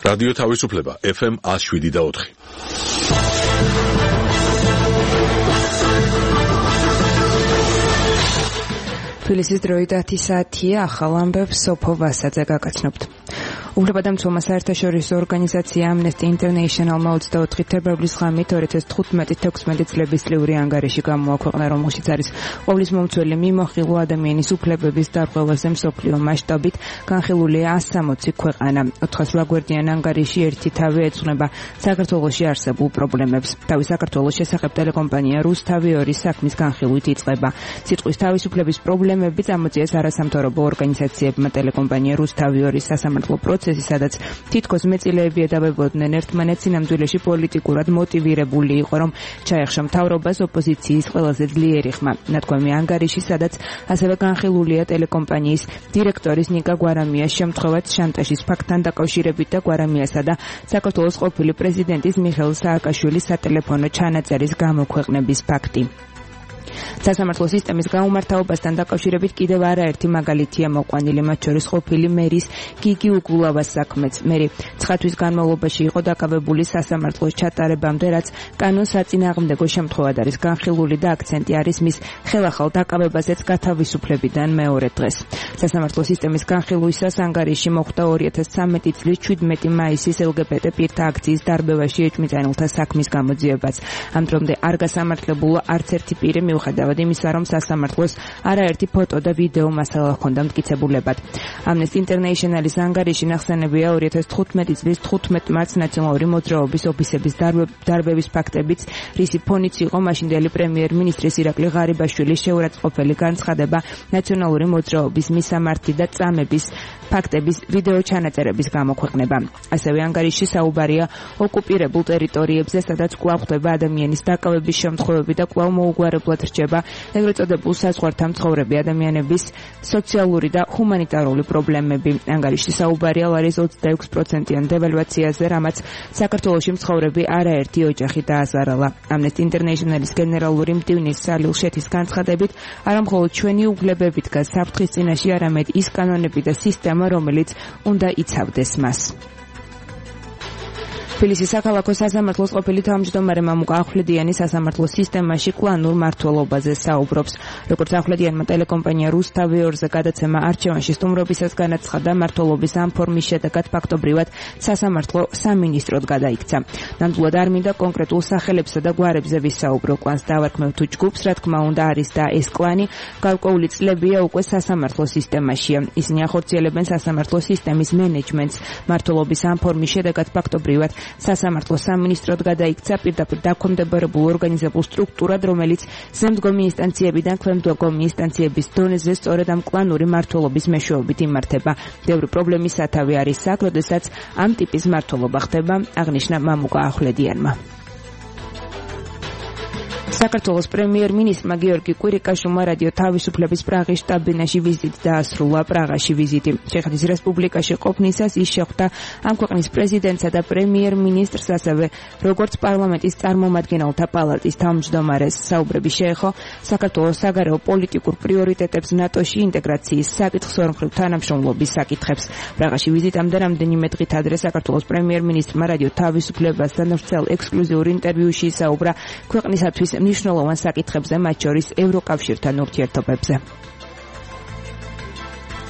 რადიო თავისუფლება FM 107.4. თბილისის დროით 10 საათია, ახალ ამბებს სოფო ვასაძე გაგაცნობთ. უფლებადამცველმა საერთაშორისო ორგანიზაცია Amnesty International-მა 24 თებერვლის ღამით 2015-16 წლების წლიური ანგარიში გამოაქვეყნა, რომელშიც არის ყოვლის მომცველი მიმოხილვა ადამიანის უფლებების დარღვევაზე მსოფლიო მასშტაბით განხილულია 160 ქვეყანა. 400 გვერდიან ანგარიში ერთი თავი ეძღვნება საქართველოში არსებულ პრობლემებს. თავი საქართველოს შესახებ ტელეკომპანია რუსთავი 2 საქმის განხილვით იწყება. სიტყვის თავისუფლების პრობლემები წამოწიეს არასამთავრობო ორგანიზაციებმა ტელეკომპანია რუსთავი 2 სასამართლო სადაც თითქოს მეწილეები ედავებოდნენ ერთმანეთს, სინამდვილეში პოლიტიკურად მოტივირებული იყო, რომ ჩაეხშა მთავრობას ოპოზიციის ყველაზე ძლიერი ხმა. ნათქვამი ანგარიში, სადაც ასევე განხილულია ტელეკომპანიის დირექტორის ნიკა გვარამიას შემთხვევაც შანტაჟის ფაქტთან დაკავშირებით და გვარამიასა და საქართველოს ყოფილი პრეზიდენტის მიხეილ სააკაშვილის სატელეფონო ჩანაწერის გამოქვეყნების ფაქტი. სასამართლო სისტემის გაუმართავობასთან დაკავშირებით კიდევ არაერთი მაგალითია მოყვანილი, მათ შორის ყოფილი მერის გიგი უგულავას საქმეც. მერი 9 თვის განმავლობაში იყო დაკავებული სასამართლოს ჩატარებამდე, რაც კანონს საწინააღმდეგო შემთხვევად არის განხილული და აქცენტი არის მის ხელახალ დაკავებაზეც გათავისუფლებიდან მეორე დღეს. სასამართლო სისტემის განხილვისას ანგარიში მოხვდა 2013 წლის 17 მაისის LGBT პირთა აქციის დარბევაში ეჭვმიტანილთა საქმის გამოძიებაც. ამ დრომდე არ გასამართლებულა არც ერთი პირი, მიუხედავად იმისა, რომ სასამართლოს არაერთი ფოტო და ვიდეო მასალა ჰქონდა მტკიცებულებად. Amnesty International-ის ანგარიში ნახსენებია 2015 წლის 15 მარტს ნაციონალური მოძრაობის ოფისების დარბევის ფაქტებიც, რისი ფონიც იყო მაშინდელი პრემიერ-მინისტრის ირაკლი ღარიბაშვილის შეურაცხყოფელი განცხადება ნაციონალური მოძრაობის მისამართი და წამების ფაქტების ვიდეო ჩანაწერების გამოქვეყნება. ასევე ანგარიში საუბარია ოკუპირებულ ტერიტორიებზე, სადაც კვლავ ხდება ადამიანის დაკავების შემთხვევები და კვლავ მოუგვარებლად რჩება ეგრეთ წოდებულ საზღვართან მცხოვრები ადამიანების სოციალური და ჰუმანიტარული პრობლემები. ანგარიში საუბარია ლარის 26%-იან დევალვაციაზე, რამაც საქართველოში მცხოვრები არაერთი ოჯახი დააზარალა. Amnesty International-ის გენერალური მდივნის სალილ შეთის განცხადებით, არა მხოლოდ ჩვენი უფლებები დგას საფრთხის წინაშე, არამედ ის კანონები და სისტემა, რომელიც უნდა იცავდეს მას. თბილისის საქალაქო სასამართლოს ყოფილი თავმჯდომარე მამუკა ახვლედიანი სასამართლო სისტემაში კლანურ მმართველობაზე საუბრობს. როგორც ახვლედიანმა ტელეკომპანია რუსთავი 2-ზე გადაცემა არჩევანში სტუმრობისას განაცხადა, მმართველობის ამ ფორმის შედეგად ფაქტობრივად სასამართლო სამინისტროდ გადაიქცა. ნამდვილად არ მინდა კონკრეტულ სახელებსა და გვარებზე ვისაუბრო, კლანს დავარქმევ თუ ჯგუფს, რა თქმა უნდა არის და ეს კლანი გარკვეული წლებია უკვე სასამართლო სისტემაშია. ისინი ახორციელებენ სასამართლო სისტემის მენეჯმენტს. მმართველობის ამ ფორმის შედეგად ფაქტობრივად სასამართლო სამინისტროდ გადაიქცა პირდაპირ დაქვემდებარებულ ორგანიზებულ სტრუქტურად, რომელიც ზემდგომი ინსტანციებიდან ქვემდგომი ინსტანციების დონეზე სწორედ ამ კლანური მმართველობის მეშვეობით იმართება. ბევრი პრობლემის სათავე არის აქ, როდესაც ამ ტიპის მმართველობა ხდება, აღნიშნა მამუკა ახვლედიანმა. საქართველოს პრემიერ-მინისტრმა გიორგი კვირიკაშვილმა რადიო თავისუფლების პრაღის შტაბ-ბინაში ვიზიტი დაასრულა. პრაღაში ვიზიტი ჩეხეთის რესპუბლიკაში ყოფნისას ის შეხვდა ამ ქვეყნის პრეზიდენტსა და პრემიერ-მინისტრს, ასევე როგორც პარლამენტის წარმომადგენელთა პალატის თავმჯდომარეს. საუბრები შეეხო საქართველოს საგარეო პოლიტიკურ პრიორიტეტებს, ნატოში ინტეგრაციის საკითხს, ორმხრივ თანამშრომლობის საკითხებს. პრაღაში ვიზიტამდე რამდენიმე დღით ადრე საქართველოს პრემიერ-მინისტრმა რადიო თავისუფლებასთან ვრცელ ექსკლუზიურ ინტერვიუში საუბრა ქვეყნისათვის მნიშვნელოვან საკითხებზე, მათ შორის ევროკავშირთან ურთიერთობებზე.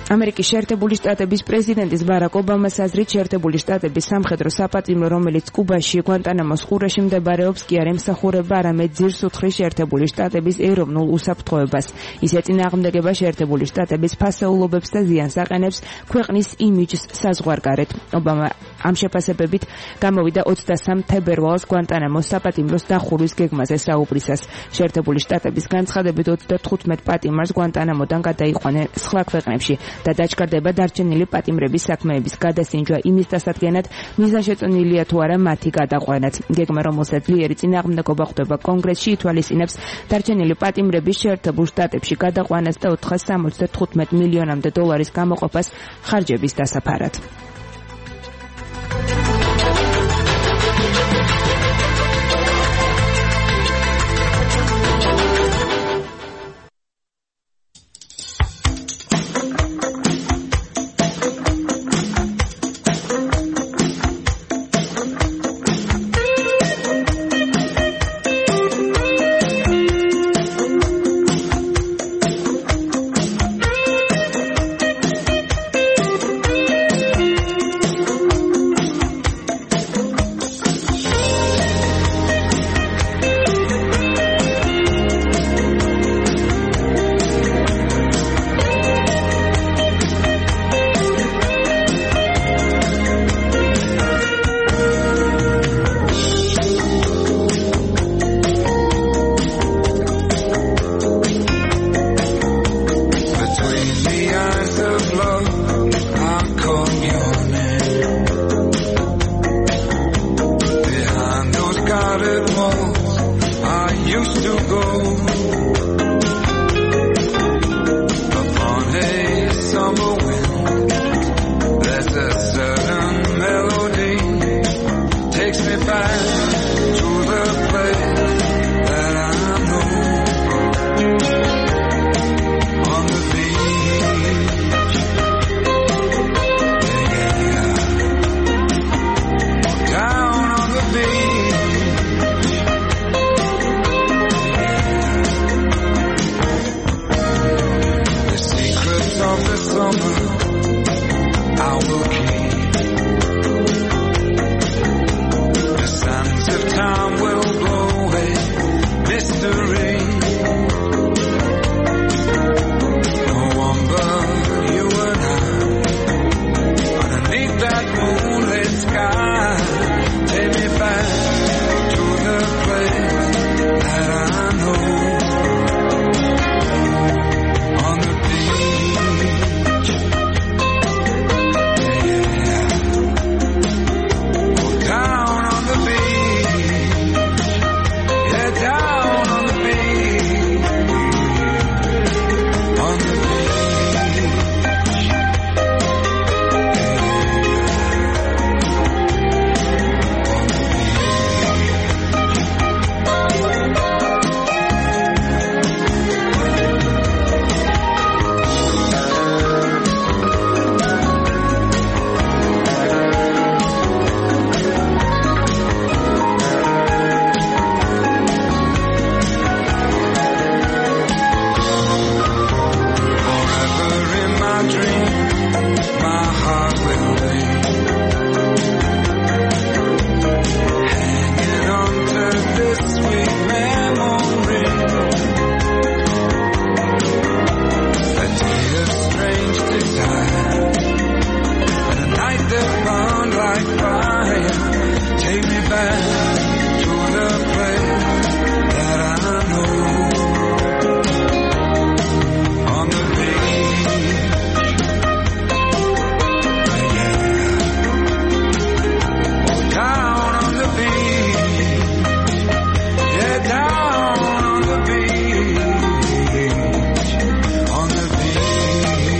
ამერიკის შეერთებული შტატების პრეზიდენტის ბარაკ ობამას აზრით, შეერთებული შტატების სამხედრო საპატიმრო, რომელიც კუბაში გვანტანამოს ყურეში მდებარეობს, კი არ ემსახურება, არამედ ძირს უთხრის შეერთებული შტატების ეროვნულ უსაფრთხოებას. ის ეწინააღმდეგება შეერთებული შტატების ფასეულობებს და ზიანს აყენებს ქვეყნის იმიჯს საზღვარგარეთ. ობამა ამ შეფასებებით გამოვიდა 23 თებერვალს გვანტანამოს საპატიმროს დახურვის გეგმაზე საუბრისას. შეერთებული შტატების განცხადებით 35 პატიმარს გვანტანამოდან გადაიყვანენ სხვა ქვეყნებში და დაჩქარდება დარჩენილი პატიმრების საქმეების გადასინჯვა იმის დასადგენად, მიზანშეწონილია თუ არა მათი გადაყვანაც. გეგმა, რომელსაც ძლიერი წინააღმდეგობა ხვდება კონგრესში, ითვალისწინებს დარჩენილი პატიმრების შეერთებულ შტატებში გადაყვანას და 475 მილიონამდე დოლარის გამოყოფას ხარჯების დასაფარად. to go upon a summer wind. There's a certain melody takes me back to the place that I know. On the beach, yeah. Down on the beach, yeah. The secrets of the summer I will keep. The sands of time will blow away mystery. No one but you and I, underneath that moonlit sky, take me back to the place that I know. On the beach, yeah. Go down on the beach, yeah, down on the beach, on the beach, forever in my dream, my heart will be hanging on to this sweet memory. A day of strange desire, and a night that burned like fire. Take me back to the place that I know. On the beach, yeah. Down on the beach, yeah, down on the beach, on the beach, yeah. On the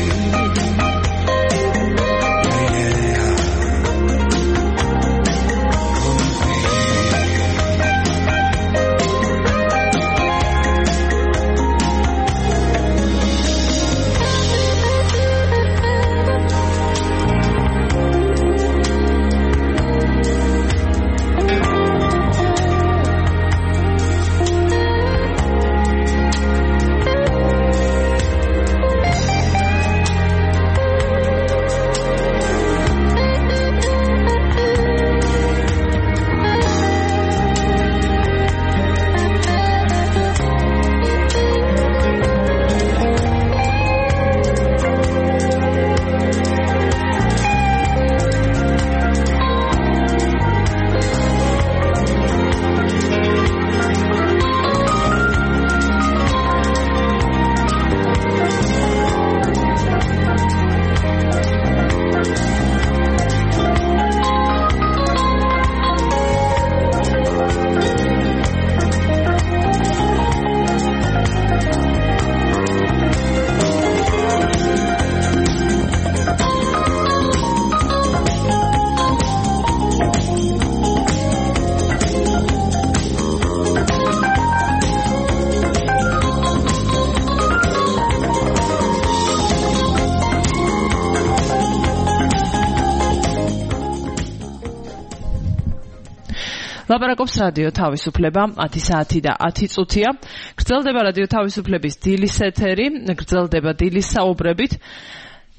ლაპარაკობს რადიო თავისუფლება 10 საათი და 10 წუთია. გრძელდება რადიო თავისუფლების დილის ეთერი, გრძელდება დილის საუბრებით.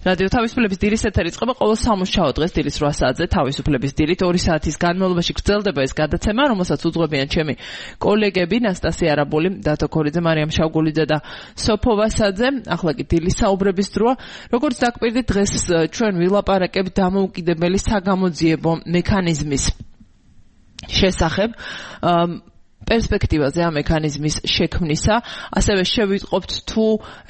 რადიო თავისუფლების დილის ეთერი იწყება ყოველ სამუშაო დღეს დილის 8 საათზე თავისუფლების დილით 2 საათის განმავლობაში გრძელდება ეს გადაცემა, რომელსაც უძღვებიან ჩემი კოლეგები ნასტასია არაბული, დათო ქორიძე, მარიამ შავგულიძე და სოფო ვასაძე. ახლა კი დილის საუბრების დროა. როგორც დაგკვირდით, დღეს ჩვენ ვილაპარაკებთ დამოუკიდებელი საგამოძიებო მექანიზმის შესახებ. პერსპექტივაზე ამ მექანიზმის შექმნისა, ასევე შევიტყობთ თუ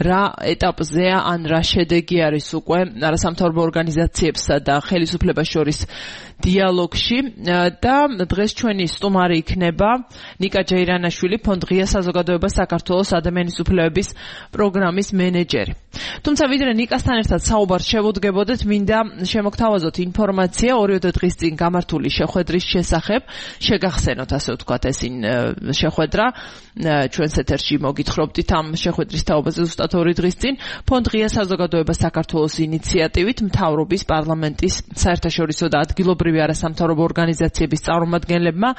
რა ეტაპზეა ან რა შედეგი არის უკვე არასამთავრობო ორგანიზაციებსა და ხელისუფლებას შორის დიალოგში და დღეს ჩვენი სტუმარი იქნება ნიკა ჯეირანაშვილი, ფონდ ღია საზოგადოება საქართველოს ადამიანის უფლებების პროგრამის მენეჯერი. თუმცა ვიდრე ნიკასთან ერთად საუბარს შევუდგებოდეთ, მინდა შემოგთავაზოთ ინფორმაცია 2 დღის წინ გამართული შეხვედრის შესახებ. შეგახსენოთ, ასე ვთქვათ, ეს შეხვედრა ჩვენს ეთერში მოგითხრობდით ამ შეხვედრის თაობაზე ზუსტად 2 დღის წინ ფონდ ღია საზოგადოება საქართველოს ინიციატივით მთავრობის, პარლამენტის, საერთაშორისო და ადგილობრივი არასამთავრობო ორგანიზაციების წარმომადგენლებმა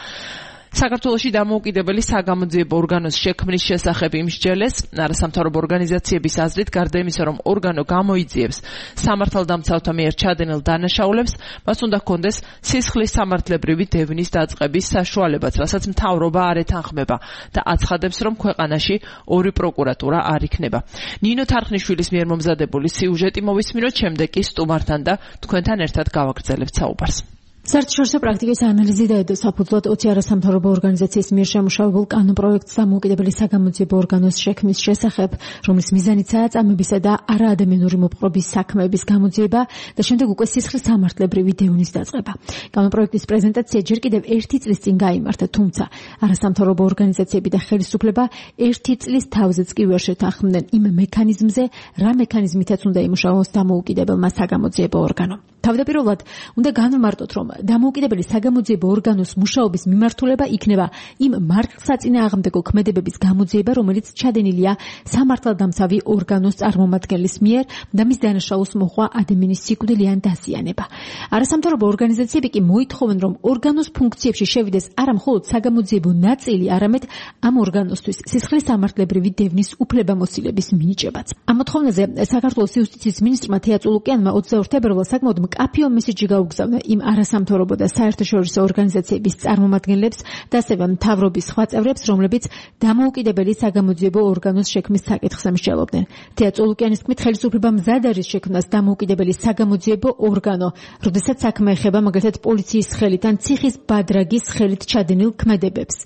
საქართველოში დამოუკიდებელი საგამოძიებო ორგანოს შექმნის შესახებ იმსჯელეს. არასამთავრობო ორგანიზაციების აზრით, გარდა იმისა, რომ ორგანო გამოიძიებს სამართალდამცავთა მიერ ჩადენილ დანაშაულებს, მას უნდა ჰქონდეს სისხლის სამართლებრივი დევნის დაწყების საშუალებაც, რასაც მთავრობა არ ეთანხმება და აცხადებს, რომ ქვეყანაში 2 პროკურატურა არ იქნება. ნინო თარხნიშვილის მიერ მომზადებული სიუჟეტი მოვისმინოთ, შემდეგ კი სტუმართან და თქვენთან ერთად გავაგრძელებთ საუბარს. საერთაშორისო პრაქტიკის ანალიზი და საფუძვლად 20 არასამთავრობო ორგანიზაციის მიერ შემუშავებულ კანონპროექტს დამოუკიდებელი საგამოძიებო ორგანოს შექმნის შესახებ, რომლის მიზანიცაა წამებისა და არაადამიანური მოპყრობის საქმეების გამოძიება და შემდეგ უკვე სისხლის სამართლებრივი დევნის დაწყება. კანონპროექტის პრეზენტაცია ჯერ კიდევ 1 წლის წინ გაიმართა, თუმცა არასამთავრობო ორგანიზაციები და ხელისუფლება 1 წლის თავზეც კი ვერ შეთანხმდნენ იმ მექანიზმზე, რა მექანიზმითაც უნდა იმუშაოს დამოუკიდებელმა საგამოძიებო ორგანომ. თავდაპირველად უნდა განვმარტოთ, რომ დამოუკიდებელი საგამოძიებო ორგანოს მუშაობის მიმართულება იქნება იმ მართლსაწინააღმდეგო ქმედებების გამოძიება, რომელიც ჩადენილია სამართალდამცავი ორგანოს წარმომადგენლის მიერ და მის დანაშაულს მოჰყვა ადამიანის სიკვდილი ან დაზიანება. არასამთავრობო ორგანიზაციები კი მოითხოვენ, რომ ორგანოს ფუნქციებში შევიდეს არა მხოლოდ საგამოძიებო ნაწილი, არამედ ამ ორგანოსთვის სისხლის სამართლებრივი დევნის უფლებამოსილების მინიჭებაც. ამ მოთხოვნაზე საქართველოს იუსტიციის მინისტრმა თეა წულუკიანმა 22 თებერვალს საკმაოდ მკაფიო მესიჯი გაუგზავნა იმ არასამთავრობო და საერთაშორისო ორგანიზაციების წარმომადგენლებს და ასევე მთავრობის სხვა წევრებს, რომლებიც დამოუკიდებელი საგამოძიებო ორგანოს შექმნის საკითხს ამსჯელობდნენ. თეა წულუკიანის თქმით, ხელისუფლება მზად არის შექმნას დამოუკიდებელი საგამოძიებო ორგანო, როდესაც საქმე ეხება მაგალითად პოლიციის ხელით ან ციხის ბადრაგის ხელით ჩადენილ ქმედებებს.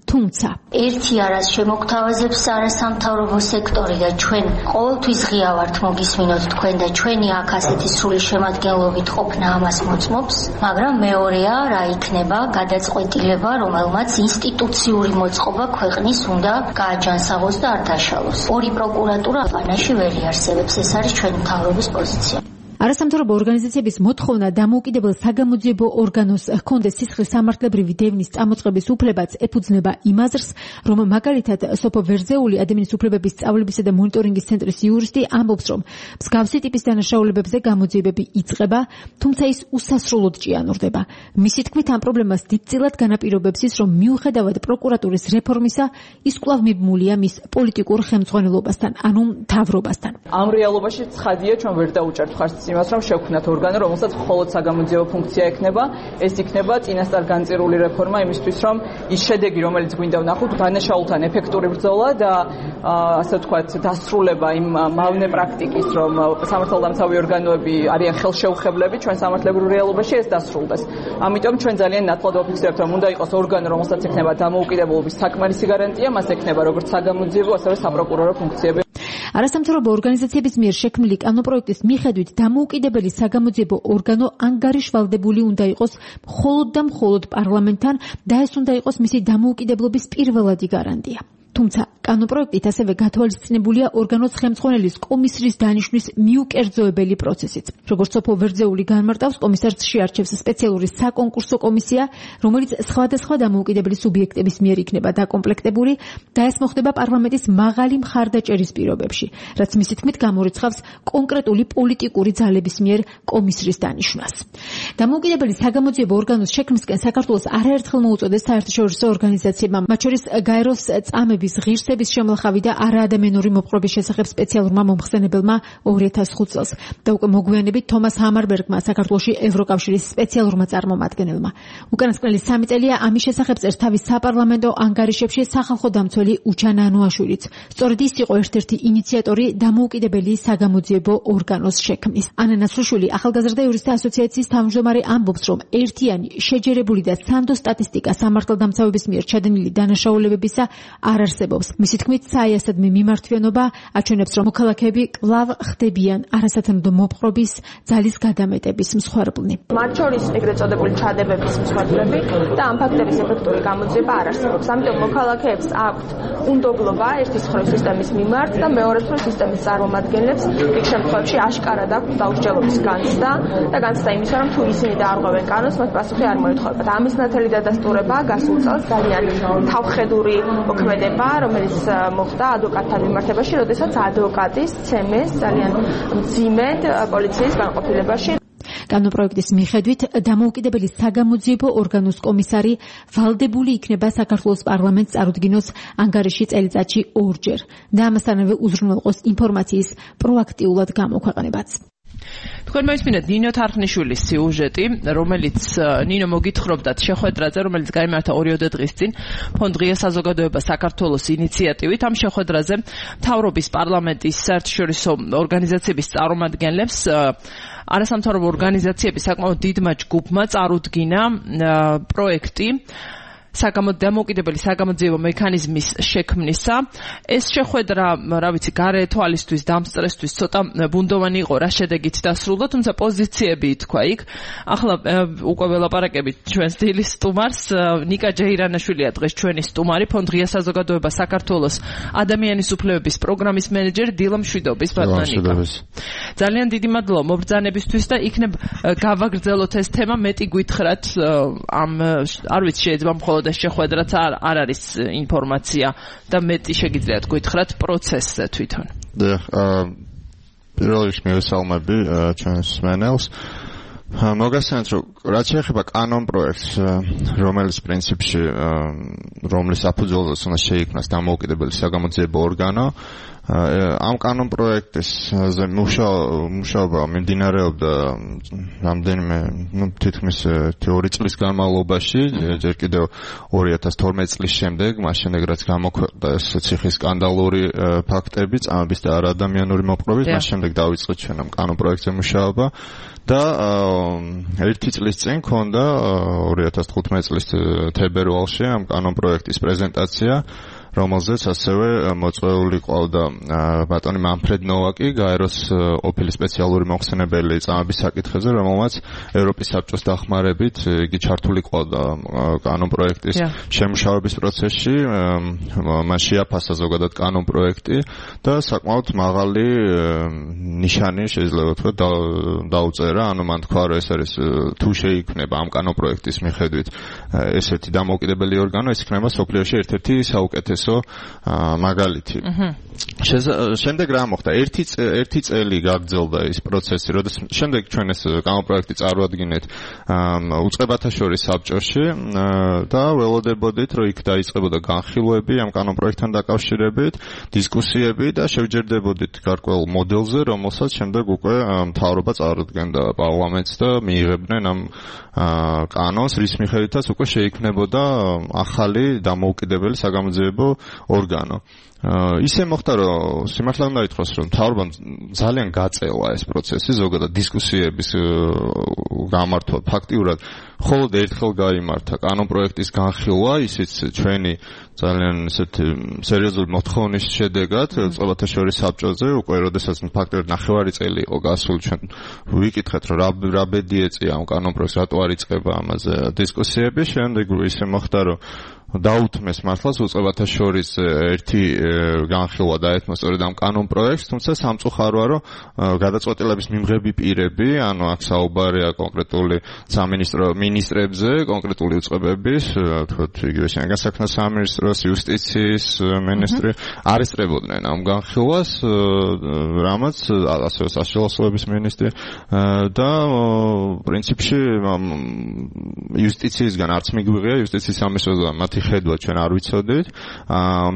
თუმცა ერთი არას შემოგთავაზებს არასამთავრობო სექტორი და ჩვენ ყოველთვის ღია ვართ მოგისმინოთ თქვენ და ჩვენი აქ ასეთი სრული შემადგენლობით ყოფნა ამას მოწმობს, მაგრამ მეორეა რა იქნება გადაწყვეტილება, რომელმაც ინსტიტუციური მოწყობა ქვეყნის უნდა გააჯანსაღოს და არ დაშალოს. 2 პროკურატურა ქვეყანაში ვერ იარსებებს, ეს არის ჩვენი მთავრობის პოზიცია. არასამთავრობო ორგანიზაციების მოთხოვნა დამოუკიდებელ საგამოძიებო ორგანოს ჰქონდეს სისხლის სამართლებრივი დევნის წამოწყების უფლებაც ეფუძნება იმ აზრს, რომ მაგალითად სოფო ვერძეული ადამიანის უფლებების სწავლებისა და მონიტორინგის ცენტრის იურისტი ამბობს, რომ მსგავსი ტიპის დანაშაულებებზე გამოძიებები იწყება, თუმცა ის უსასრულოდ ჭიანურდება. მისი თქმით, ამ პრობლემას დიდწილად განაპირობებს ის, რომ მიუხედავად პროკურატურის რეფორმისა, ის კვლავ მიბმულია მის პოლიტიკურ ხელმძღვანელობასთან, ანუ მთავრობასთან. ამ რეალობაში ცხადია, ჩვენ ვერ დაუჭერთ ხარჯს იმას, რომ შევქმნათ ორგანო, რომელსაც მხოლოდ საგამოძიებო ფუნქცია ექნება. ეს იქნება წინასწარ განწირული რეფორმა იმისთვის, რომ ის შედეგი, რომელიც გვინდა ვნახოთ, დანაშაულთან ეფექტური ბრძოლა და ასე ვთქვათ, დასრულება იმ მავნე პრაქტიკის, რომ სამართალდამცავი ორგანოები არიან ხელშეუხებლები ჩვენ სამართლებრივ რეალობაში, ეს დასრულდეს. ამიტომ ჩვენ ძალიან ნათლად ვაფიქსირებთ, რომ უნდა იყოს ორგანო, რომელსაც ექნება დამოუკიდებლობის საკმარისი გარანტია, მას ექნება როგორც საგამოძიებო, ასევე საპროკურორო ფუნქციები. არასამთავრობო ორგანიზაციების მიერ შექმნილი კანონპროექტის მიხედვით დამოუკიდებელი საგამოძიებო ორგანო ანგარიშვალდებული უნდა იყოს მხოლოდ და მხოლოდ პარლამენტთან და ეს უნდა იყოს მისი დამოუკიდებლობის პირველადი გარანტია. თუმცა კანონპროექტით ასევე გათვალისწინებულია ორგანოს ხელმძღვანელის კომისრის დანიშვნის მიუკერძოებელი პროცესიც. როგორც სოფო ვერძეული განმარტავს, კომისარს შეარჩევს სპეციალური საკონკურსო კომისია, რომელიც სხვადასხვა დამოუკიდებელი სუბიექტების მიერ იქნება დაკომპლექტებული და ეს მოხდება პარლამენტის მაღალი მხარდაჭერის პირობებში, რაც მისი თქმით გამორიცხავს კონკრეტული პოლიტიკური ძალების მიერ კომისრის დანიშვნას. დამოუკიდებელი საგამოძიებო ორგანოს შექმნისკენ საქართველოს არაერთხელ მოუწოდეს საერთაშორისო ორგანიზაციებმა, მათ შორის გაეროს წამების ღირსების წლების შემლახავი და არაადამიანური მოპყრობის შესახებ სპეციალურმა მომხსენებელმა 2005 წელს და უკვე მოგვიანებით თომას ჰამარბერგმა საქართველოში ევროკავშირის სპეციალურმა წარმომადგენელმა. უკანასკნელი 3 წელია ამის შესახებ წერს თავის საპარლამენტო ანგარიშებში სახალხო დამცველი უჩან ანუაშვილიც. სწორედ ის იყო ერთ-ერთი ინიციატორი დამოუკიდებელი საგამოძიებო ორგანოს შექმნის. ანა ნაცრუშვილი ახალგაზრდა იურისტთა ასოციაციის თავმჯდომარე ამბობს, რომ ერთიანი, შეჯერებული და სანდო სტატისტიკა სამართალდამცავების მიერ ჩადენილი დანაშაულებებისა არ არსებობს. მისი თქმით, საიასადმი მიმართვიანობა აჩვენებს, რომ მოქალაქეები კვლავ ხდებიან არასათანადო მოპყრობის, ძალის გადამეტების მსხვერპლნი. მათ შორის ეგრეთ წოდებული ჩადებების მსხვერპლები და ამ ფაქტების ეფექტური გამოძიება არ არსებობს. ამიტომ მოქალაქეებს აქვთ უნდობლობა ერთის მხრივ სისტემის მიმართ და მეორეს მხრივ სისტემის წარმომადგენლებს იქ შემთხვევაში აშკარად აქვთ დაუსჯელობის განცდა და განცდა იმისა, რომ თუ ისინი დაარღვევენ კანონს, მათ პასუხი არ მოეთხოვებათ. ამის ნათელი დადასტურება გასულ წელს ძალიან თავხედური მოქმედება, რომელიც მოხდა ადვოკატთან მიმართებაში, როდესაც ადვოკატის ცემეს ძალიან მძიმედ პოლიციის განყოფილებაში. კანონპროექტის მიხედვით დამოუკიდებელი საგამოძიებო ორგანოს კომისარი ვალდებული იქნება საქართველოს პარლამენტს წარუდგინოს ანგარიში წელიწადში 2 ჯერ და ამასთანავე უზრუნველყოს ინფორმაციის პროაქტიულად გამოქვეყნებაც. თქვენ მოისმინეთ ნინო თარხნიშვილის სიუჟეტი, რომელიც ნინო მოგითხრობდათ შეხვედრაზე, რომელიც გაიმართა 2 დღის წინ ფონდ ღია საზოგადოება საქართველოს ინიციატივით. ამ შეხვედრაზე მთავრობის პარლამენტის საერთაშორისო ორგანიზაციების წარმომადგენლებს არასამთავრობო ორგანიზაციების საკმაოდ დიდმა ჯგუფმა წარუდგინა პროექტი დამოუკიდებელი საგამოძიებო მექანიზმის შექმნისა. ეს შეხვედრა, რა ვიცი, გარე თვალისთვის, დამსწრესთვის ცოტა ბუნდოვანი იყო, რა შედეგით დასრულდა, თუმცა პოზიციები თქვა იქ. ახლა უკვე ველაპარაკებით ჩვენს დილის სტუმარს, ნიკა ჯეირანაშვილია დღეს ჩვენი სტუმარი, ფონდ ღია საზოგადოება საქართველოს ადამიანის უფლებების პროგრამის მენეჯერი დილა მშვიდობის. ძალიან დიდი მადლობა მობრძანებისთვის და იქნებ გავაგრძელოთ ეს თემა, მეტი გითხრათ ამ არ ვიცი შეიძლება მხოლოდ შეხვედრაც არ არის ინფორმაცია და მეტი შეგიძლიათ გითხრათ პროცესზე თვითონ. პირველ რიგში მივესალმები ჩვენს მენელს. მოგესალმებით, რომ რაც შეეხება კანონ პროექტს, რომელიც პრინციპში რომლის საფუძველზეც უნდა შეიქმნას დამოუკიდებელი საგამოძიებო ორგანო, ამ კანონ პროექტზე მუშაობა მიმდინარეობდა რამდენიმე, თითქმის 2 წლის განმავლობაში, ჯერ კიდევ 2012 წლის შემდეგ, მას შემდეგ რაც გამოქვეყნდა ეს ციხის სკანდალური ფაქტები, წამების და არაადამიანური მოპყრობის, მას შემდეგ დავიწყეთ ჩვენ ამ კანონ პროექტზე მუშაობა. და 1 წლის წინ ქონდა 2015 წლის თებერვალში ამ კანონ პროექტის პრეზენტაცია, რომელზეც ასევე მოწვეული ყავდა ბატონი მანფრედ ნოვაკი, გაეროს ყოფილი სპეციალური მომხსენებელი წამების საკითხებზე, რომელმაც ევროპის საბჭოს დახმარებით იგი ჩართული ყავდა კანონ პროექტის შემუშავების პროცესში, მას შეაფასა ზოგადად კანონ პროექტი და საკმაოდ მაღალი ნიშანი შეიძლება ვთქვათ დაუწერა, ანუ მან თქვა, რომ ეს არის თუ შეიქმნება ამ კანონ პროექტის მიხედვით ესეთი დამოუკიდებელი ორგანო, ეს იქნება სოფლიოში ერთ-ერთი საუკეთესო მაგალითი. შემდეგ რა მოხდა? 1 წელი გაგრძელდა ის პროცესი, როდესაც შემდეგ ჩვენ ეს კანონპროექტი წარუადგინეთ უწყებათა შორის საბჭოში და ველოდებოდით, რომ იქ დაიწყებოდა განხილვები ამ კანონპროექტთან დაკავშირებით, დისკუსიები და შევჯერდებოდით გარკვეულ მოდელზე, რომელსაც შემდეგ უკვე მთავრობა წარუდგენდა პარლამენტს და მიიღებდნენ ამ კანონს, რის მიხედვითაც უკვე შეიქმნებოდა ახალი დამოუკიდებელი საგამოძიებო ორგანო. ისე მოხდა, რომ სიმართლე უნდა ითქვას, რომ მთავრობამ ძალიან გაწევა ეს პროცესი, ზოგადად დისკუსიების გამართვა ფაქტიურად მხოლოდ ერთხელ გაიმართა კანონპროექტის განხილვა, ისიც ჩვენი ძალიან ესეთ სერიოზული მოთხოვნის შედეგად უწყებათა შორის საბჭოზე, უკვე როდესაც ფაქტიურად 9 წელი იყო გასული, ჩვენ ვიკითხეთ, რომ რა ბედი ეწია ამ კანონპროექტს, რატო არ იწყება ამაზე დისკუსიები, შემდეგ ისე მოხდა, რომ დაუთმეს მართლაც უწყებათა შორის ერთი განხილვა დაეთმო სწორედ ამ კანონპროექტს, თუმცა სამწუხაროა, რომ გადაწყვეტილების მიმღები პირები, ანუ აქ საუბარია კონკრეტული სამინისტრო მინისტრებზე, კონკრეტული უწყებების, თქვათ იგივე შინაგან საქმეთა სამინისტროს, იუსტიციის მინისტრი არესტრებოდნენ ამ განხილვას, რამაც ასევე საშუალო მინისტრი და პრინციპში იუსტიციისგან არც მიგვიღია იუსტიციის სამინისტროსგან მათი ასეთი ხედვა ჩვენ არ ვიცოდით.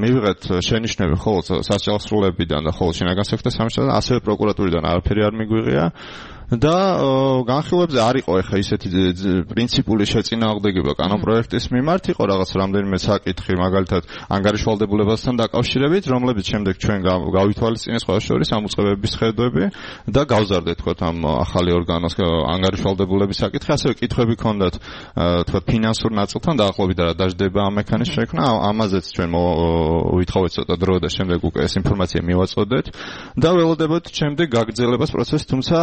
მივიღეთ შენიშვნები ხოლმე სასჯელსრულებიდან და ხოლმე შინაგან საქმეთა სამინისტროდან, ასევე პროკურატურიდან არაფერი არ მიგვიღია. და განხილვებზე არ იყო ეხა ისეთი პრინციპული შეწინააღმდეგება კანონპროექტის მიმართ, იყო რაღაც რამდენიმე საკითხი, მაგალითად ანგარიშვალდებულებასთან დაკავშირებით, რომლებიც შემდეგ ჩვენ გავითვალისწინეს ყველა შორის ამ უწყებების ხედვები და გავზარდეთ თქო ამ ახალი ორგანოს ანგარიშვალდებულების საკითხი, ასევე კითხვები ჰქონდათ თქო ფინანსურ ნაწილთან დაახლოებით რა დაждდება ამ მექანიზმის შექმნა, ამაზეც ჩვენ ვითხოვეთ ცოტა დრო და შემდეგ უკვე ეს ინფორმაცია მივაწოდეთ და ველოდებოდ შემდეგ გაგრძელებას პროცესს, თუმცა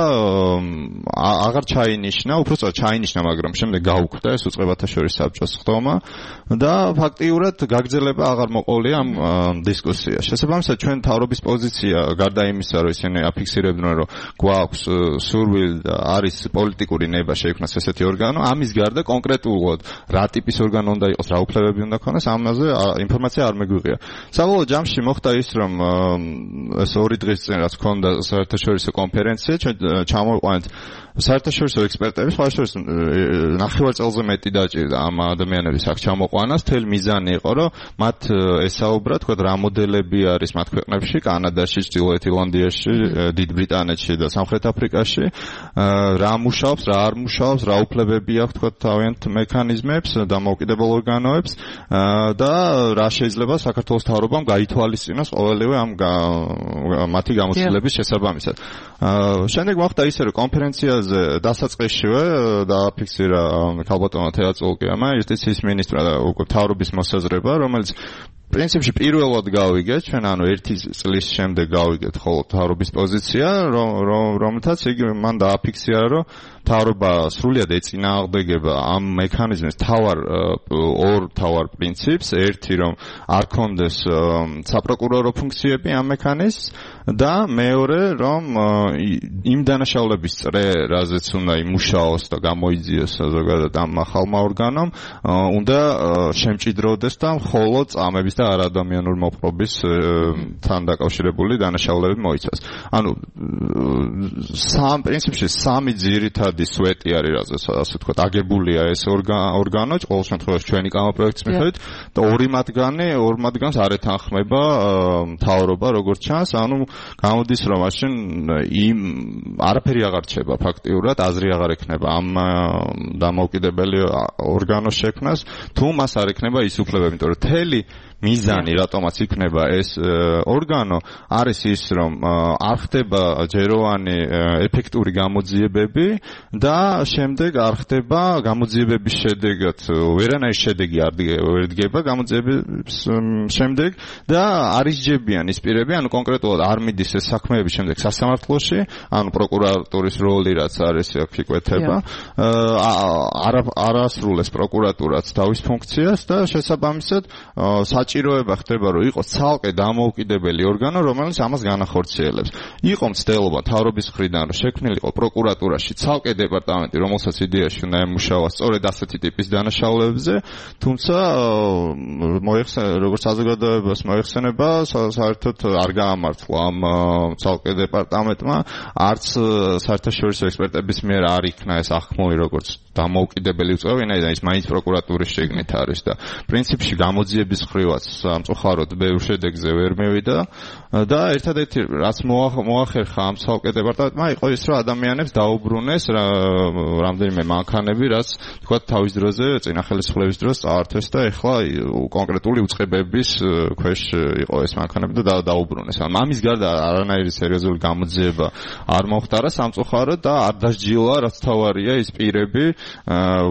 აღარ ჩაინიშნა, უბრალოდ ჩაინიშნა, მაგრამ შემდეგ გაუქმდა ეს უწყებათა შორის საბჭოს ხდომა და ფაქტიურად გაგრძელება აღარ მოყოლია ამ დისკუსიაში. შესაბამისად, ჩვენ მთავრობის პოზიცია გარდა იმისა, რომ ისინი აფიქსირებდნენ, რომ გვაქვს სურვილი და არის პოლიტიკური ნება შეიქმნას ესეთი ორგანო, ამის გარდა კონკრეტულად რა ტიპის ორგანო უნდა იყოს, რა უფლებები უნდა ქონდეს, ამაზე ინფორმაცია არ მეგვიღია. საბოლოო ჯამში მოხდა ის, რომ ეს 2 დღის წინ რაც ჰქონდა საერთაშორისო კონფერენცია, ჩვენ ჩამოვიყვანეთ საერთაშორისო ექსპერტები, სხვა შორის ნახევარ წელზე მეტი დაჭირდა ამ ადამიანების აქ ჩამოყვანას. თელ მიზანი იყო, რომ მათ ესაუბრა, თქვა რა მოდელები არის მათ ქვეყნებში, კანადაში, ჩრდილოეთ ირლანდიაში, დიდ ბრიტანეთში და სამხრეთ აფრიკაში, რა მუშაობს, რა არ მუშაობს, რა უფლებები აქვს, თქვა თავიანთ მექანიზმებს, დამოუკიდებელ ორგანოებს და რა შეიძლება საქართველოს მთავრობამ გაითვალისწინოს ყოველივე ამ მათი გამოცდილების შესაბამისად. შემდეგ მოხდა ისე, რომ კონფერენციაზე დასაწყისშივე დააფიქსირა ქალბატონმა თეაწყოლკიამ იუსტიციის მინისტრმა და უკვე მთავრობის მოსაზრება, რომელიც პრინციპში პირველად გავიგეთ ჩვენ, ანუ 1 წლის შემდეგ გავიგეთ ხოლმე მთავრობის პოზიცია, რომელთაც იგი მან დააფიქსირა, რომ მთავრობა სრულიად ეწინააღმდეგება ამ მექანიზმის ორ თავარ პრინციპს, ერთი რომ არ კონდეს საპროკურორო ფუნქციები ამ მექანიზმს და მეორე რომ იმ დანაშაულების წრე, რაზეც უნდა იმუშაოს და გამოიძიოს ზოგადად ამ ახალმა ორგანომ, უნდა შემჭიდროდეს და მხოლოდ წამების და არადამიანურ მოპყრობის თან დაკავშირებული დანაშაულები მოიცავს. ანუ პრინციპში სამი ძირითადი სვეტი არის, ასე ვთქვათ, აგებულია ეს ორგანო, ყოველ შემთხვევაში ჩვენი კანონპროექტის მიხედვით და ორი მათგანს არ ეთანხმება მთავრობა, როგორც ჩანს, ანუ გამოდის, რომ მაშინ არაფერი აღარ რჩება ფაქტიურად, აზრი აღარ ექნება ამ დამოუკიდებელი ორგანოს შექმნას, თუ მას არ ექნება ის უფლებები, იმიტომ რომ თელი მიზანი რატომაც იქნება ეს ორგანო არის ის, რომ არ ხდება ჯეროვანი ეფექტური გამოძიებები და შემდეგ არ ხდება გამოძიებების შედეგად ვერანაირი შედეგი არ დგება გამოძიებების შემდეგ და არისჯებიან ის პირები, ანუ კონკრეტულად არ მიდის ეს საქმეები შემდეგ სასამართლოში, ანუ პროკურატურის როლი რაც არის აქ იკვეთება, არ ასრულებს პროკურატურაც თავის ფუნქციას და შესაბამისად საჭიროება ხდება, რომ იყოს ცალკე დამოუკიდებელი ორგანო, რომელიც ამას განახორციელებს. იყო მცდელობა მთავრობის მხრიდან, რომ შექმნილიყო პროკურატურაში ცალკე დეპარტამენტი, რომელსაც იდეაში უნდა ემუშავა სწორედ ასეთი ტიპის დანაშაულებებზე, თუმცა როგორც საზოგადოებას მოიხსენება, საერთოდ არ გაამართლა ამ ცალკე დეპარტამენტმა, არც საერთაშორისო ექსპერტების მიერ არ იქნა ეს ახმული როგორც დამოუკიდებელი უწყება, ვინაიდან ის მაინც პროკურატურის შიგნით არის და პრინციპში გამოძიების ხრივაც სამწუხაროდ ბევრ შედეგზე ვერ მივიდა და ერთადერთი რაც მოახერხა ამ ცალკე დეპარტამენტმა იყო ის, რომ ადამიანებს დაუბრუნეს რამდენიმე მანქანები, რაც თქვა თავის დროზე წინა ხელისუფლების დროს წაართვეს და ეხლა კონკრეტული უწყებების ქვეშ იყო ეს მანქანები და დაუბრუნეს. ამის გარდა არანაირი სერიოზული გამოძიება არ მოხდარა სამწუხაროდ და არ დასჯილა, რაც თავარია ის პირები,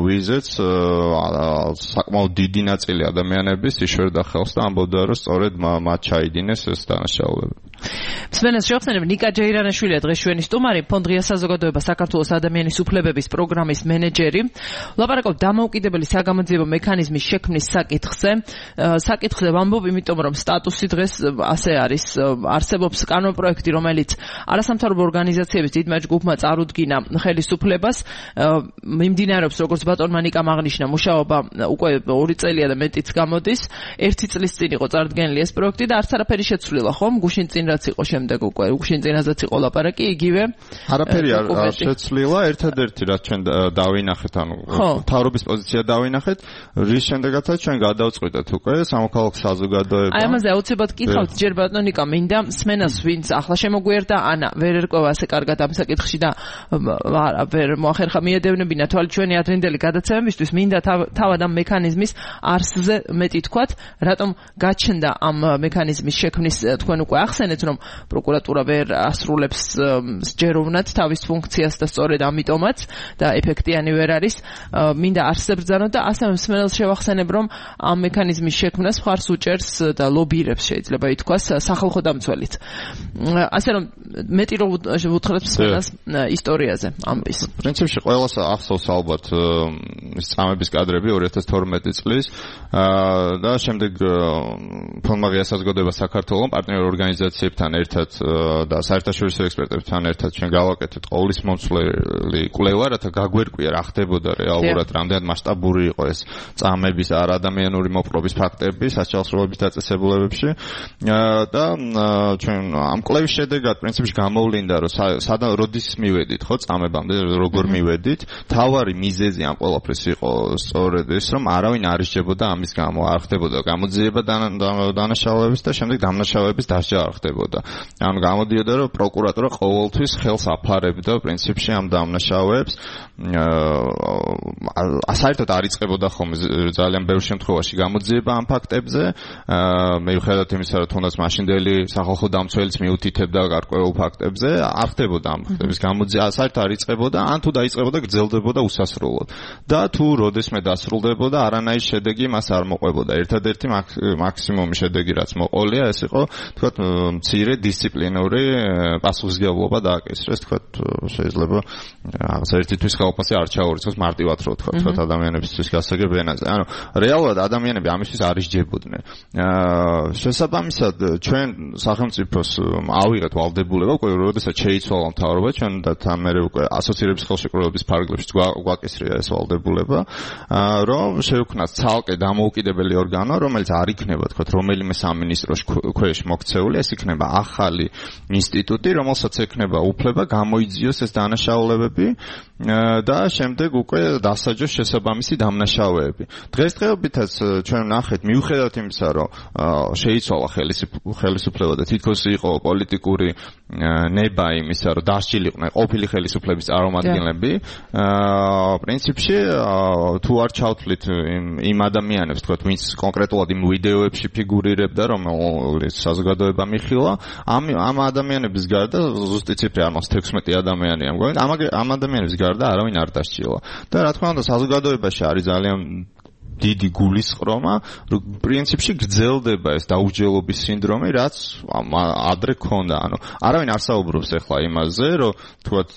ვიზეც საკმაოდ დიდი ნაწილი ადამიანების იშორდა ხელს და ამბობდა, რომ სწორედ მათ ჩაიდინეს ეს დანაშაულები. მსმენელს შევხსენებ, ნიკა ჯეირანაშვილია დღეს ჩვენი სტუმარი, ფონდ ღია საზოგადოება საქართველოს ადამიანის უფლებების პროგრამის მენეჯერი. ვლაპარაკობთ დამოუკიდებელი საგამოძიებო მექანიზმის შექმნის საკითხზე ვამბობ, იმიტომ რომ სტატუსი დღეს ასე არის, არსებობს კანონპროექტი, რომელიც არასამთავრობო ორგანიზაციების დიდმა ჯგუფმა წარუდგინა ხელისუფლებას, მიმდინარეობს, როგორც ბატონმა ნიკამ აღნიშნა, მუშაობა უკვე 2 წელია და მეტიც გამოდის. 1 წლის წინ იყო წარდგენილი ეს პროექტი და არც არაფერი შეცვლილა, ხომ? გუშინ წინ რაც იყო შემდეგ უკვე შენ წინაზეც იყო ლაპარაკი იგივე არაფერი არ შეცვლილა ერთადერთი რაც ჩვენ დავინახეთ ანუ მთავრობის პოზიცია დავინახეთ რის შემდეგაც ჩვენ გადავწყვიტეთ უკვე სამოქალაქო საზოგადოება აი ამაზე აუცილებლად კითხავთ ჯერ ბატონიკა მინდა მსმენელს ვინც ახლა შემოგვიერდა ანა ვერ ერკვევა ასე კარგად ამ საკითხში და ვერ მოახერხა მიედევნებინა თვალით ჩვენი ადრინდელი გადაცემებისთვის მინდა თავად ამ მექანიზმის არსზე მეტი თქვათ რატომ გაჩნდა ამ მექანიზმის შექმნის თქვენ უკვე ახსენეთ რომ პროკურატურა ვერ ასრულებს სჯეროვნად თავის ფუნქციას და სწორედ ამიტომაც და ეფექტიანი ვერ არის მინდა არსზე ბრძანოთ და ასევე მსმენელს შევახსენებ რომ ამ მექანიზმის შექმნას მხარს უჭერს და ლობირებს შეიძლება ითქვას სახალხო დამცველიც ასე რომ მეტი რომ ვუთხრათ მსმენელს ისტორიაზე ამის პრინციპში ყველას ახსოვს ალბათ წამების კადრები 2012 წლის და შემდეგ ფონმა ღირსშესაძგოდება საქართველოს პარტნიორ ორგანიზაციებთან ერთად და საერთაშორისო ექსპერტებთან ერთად ჩვენ გავაკეთეთ ყოვლისმომცვლელი კვლევა რათა გაგვერკვია რა ხდებოდა რეალურად რამდენად მასშტაბური იყო ეს წამების არადამიანური მოპყრობის ფაქტები სასჯელსროლების დაწესებულებებში და ჩვენ ამ კვლევის შედეგად პრინციპში გამოვლინდა რომ სადან როდის მივედით ხო წამებამდე როგორ მივედით თავარი მიზეზი ამ ყველაფრის იყო სწორედ ეს რომ არავინ არ ისჯებოდა ამის გამო არ ხდებოდა გამოძიება დანაშაულების და შემდეგ დამნაშავეების დასჯა არ ხდებოდა ანუ გამოდიოდა რომ პროკურატურა ყოველთვის ხელს აფარებდა პრინციპში ამ დამნაშავეებს საერთოდ არ იწყებოდა ხომ ძალიან ბევრ შემთხვევაში გამოძიება ამ ფაქტებზე მიუხედავად იმისა რომ თუნდაც მაშინდელი სახალხო დამცველიც მიუთითებდა გარკვეულ ფაქტებზე არ ხდებოდა ამ ფაქტების გამოძიება საერთოდ არ იწყებოდა ან თუ დაიწყებოდა გრძელდებოდა უსასრულოდ და თუ როდესმე დასრულდებოდა არანაირი შედეგი მას არ მოყვებოდა ერთადერთი მაქსიმუმი შედეგი რაც მოყოლია ეს იყო თქვათ მცირე დისციპლინური პასუხისმგებლობა დააკისრეს თქვათ შეიძლება რაღაც ერთი თვის ხელფასი არ ჩაურიცხოს მარტივად რო თქვათ ადამიანებისთვის გასაგებ ენაზე ანუ რეალურად ადამიანები ამისთვის არ ისჯებოდნენ შესაბამისად ჩვენ სახელმწიფოს ავიღეთ ვალდებულება უკვე როდესაც შეიცვალა მთავრობა ჩვენ და თან მერე უკვე ასოცირების ხელშეკრულების ფარგლებში გვაკისრია ეს ვალდებულება რომ შევქმნათ ცალკე დამოუკიდებელი ორგანო რომელიც არ იქნება თქვათ რომელიმე სამინისტროს ქვეშ მოქცეული ეს იქნება ახალი ინსტიტუტი რომელსაც ექნება უფლება გამოიძიოს ეს დანაშაულებები და შემდეგ უკვე დასაჯოს შესაბამისი დამნაშავეები დღესდღეობითაც ჩვენ ნახეთ მიუხედავად იმისა რომ შეიცვალა ხელისუფლება და თითქოს იყო პოლიტიკური ნება იმისა რომ დასჯილიყვნენ ყოფილი ხელისუფლების წარმომადგენლები პრინციპში თუ არ ჩავთვლით იმ ადამიანებს თქვათ ვინც კონკრეტულად იმ ვიდეოებში ფიგურირებდა რომელიც საზოგადოება მიხილა ამ ადამიანების გარდა ზუსტი ციფრი არ მაქვს 16 ადამიანია მგონი ამ ადამიანების გარდა არავინ არ დასჯილა და რა თქმა უნდა საზოგადოებაში არის ძალიან დიდი გულისყრომა, რომ პრინციპში გრძელდება ეს დაუჯელობის სინდრომი, რაც ადრე ქონდა. ანუ არავინ არ საუბრობს ახლა იმაზე, რომ თუათ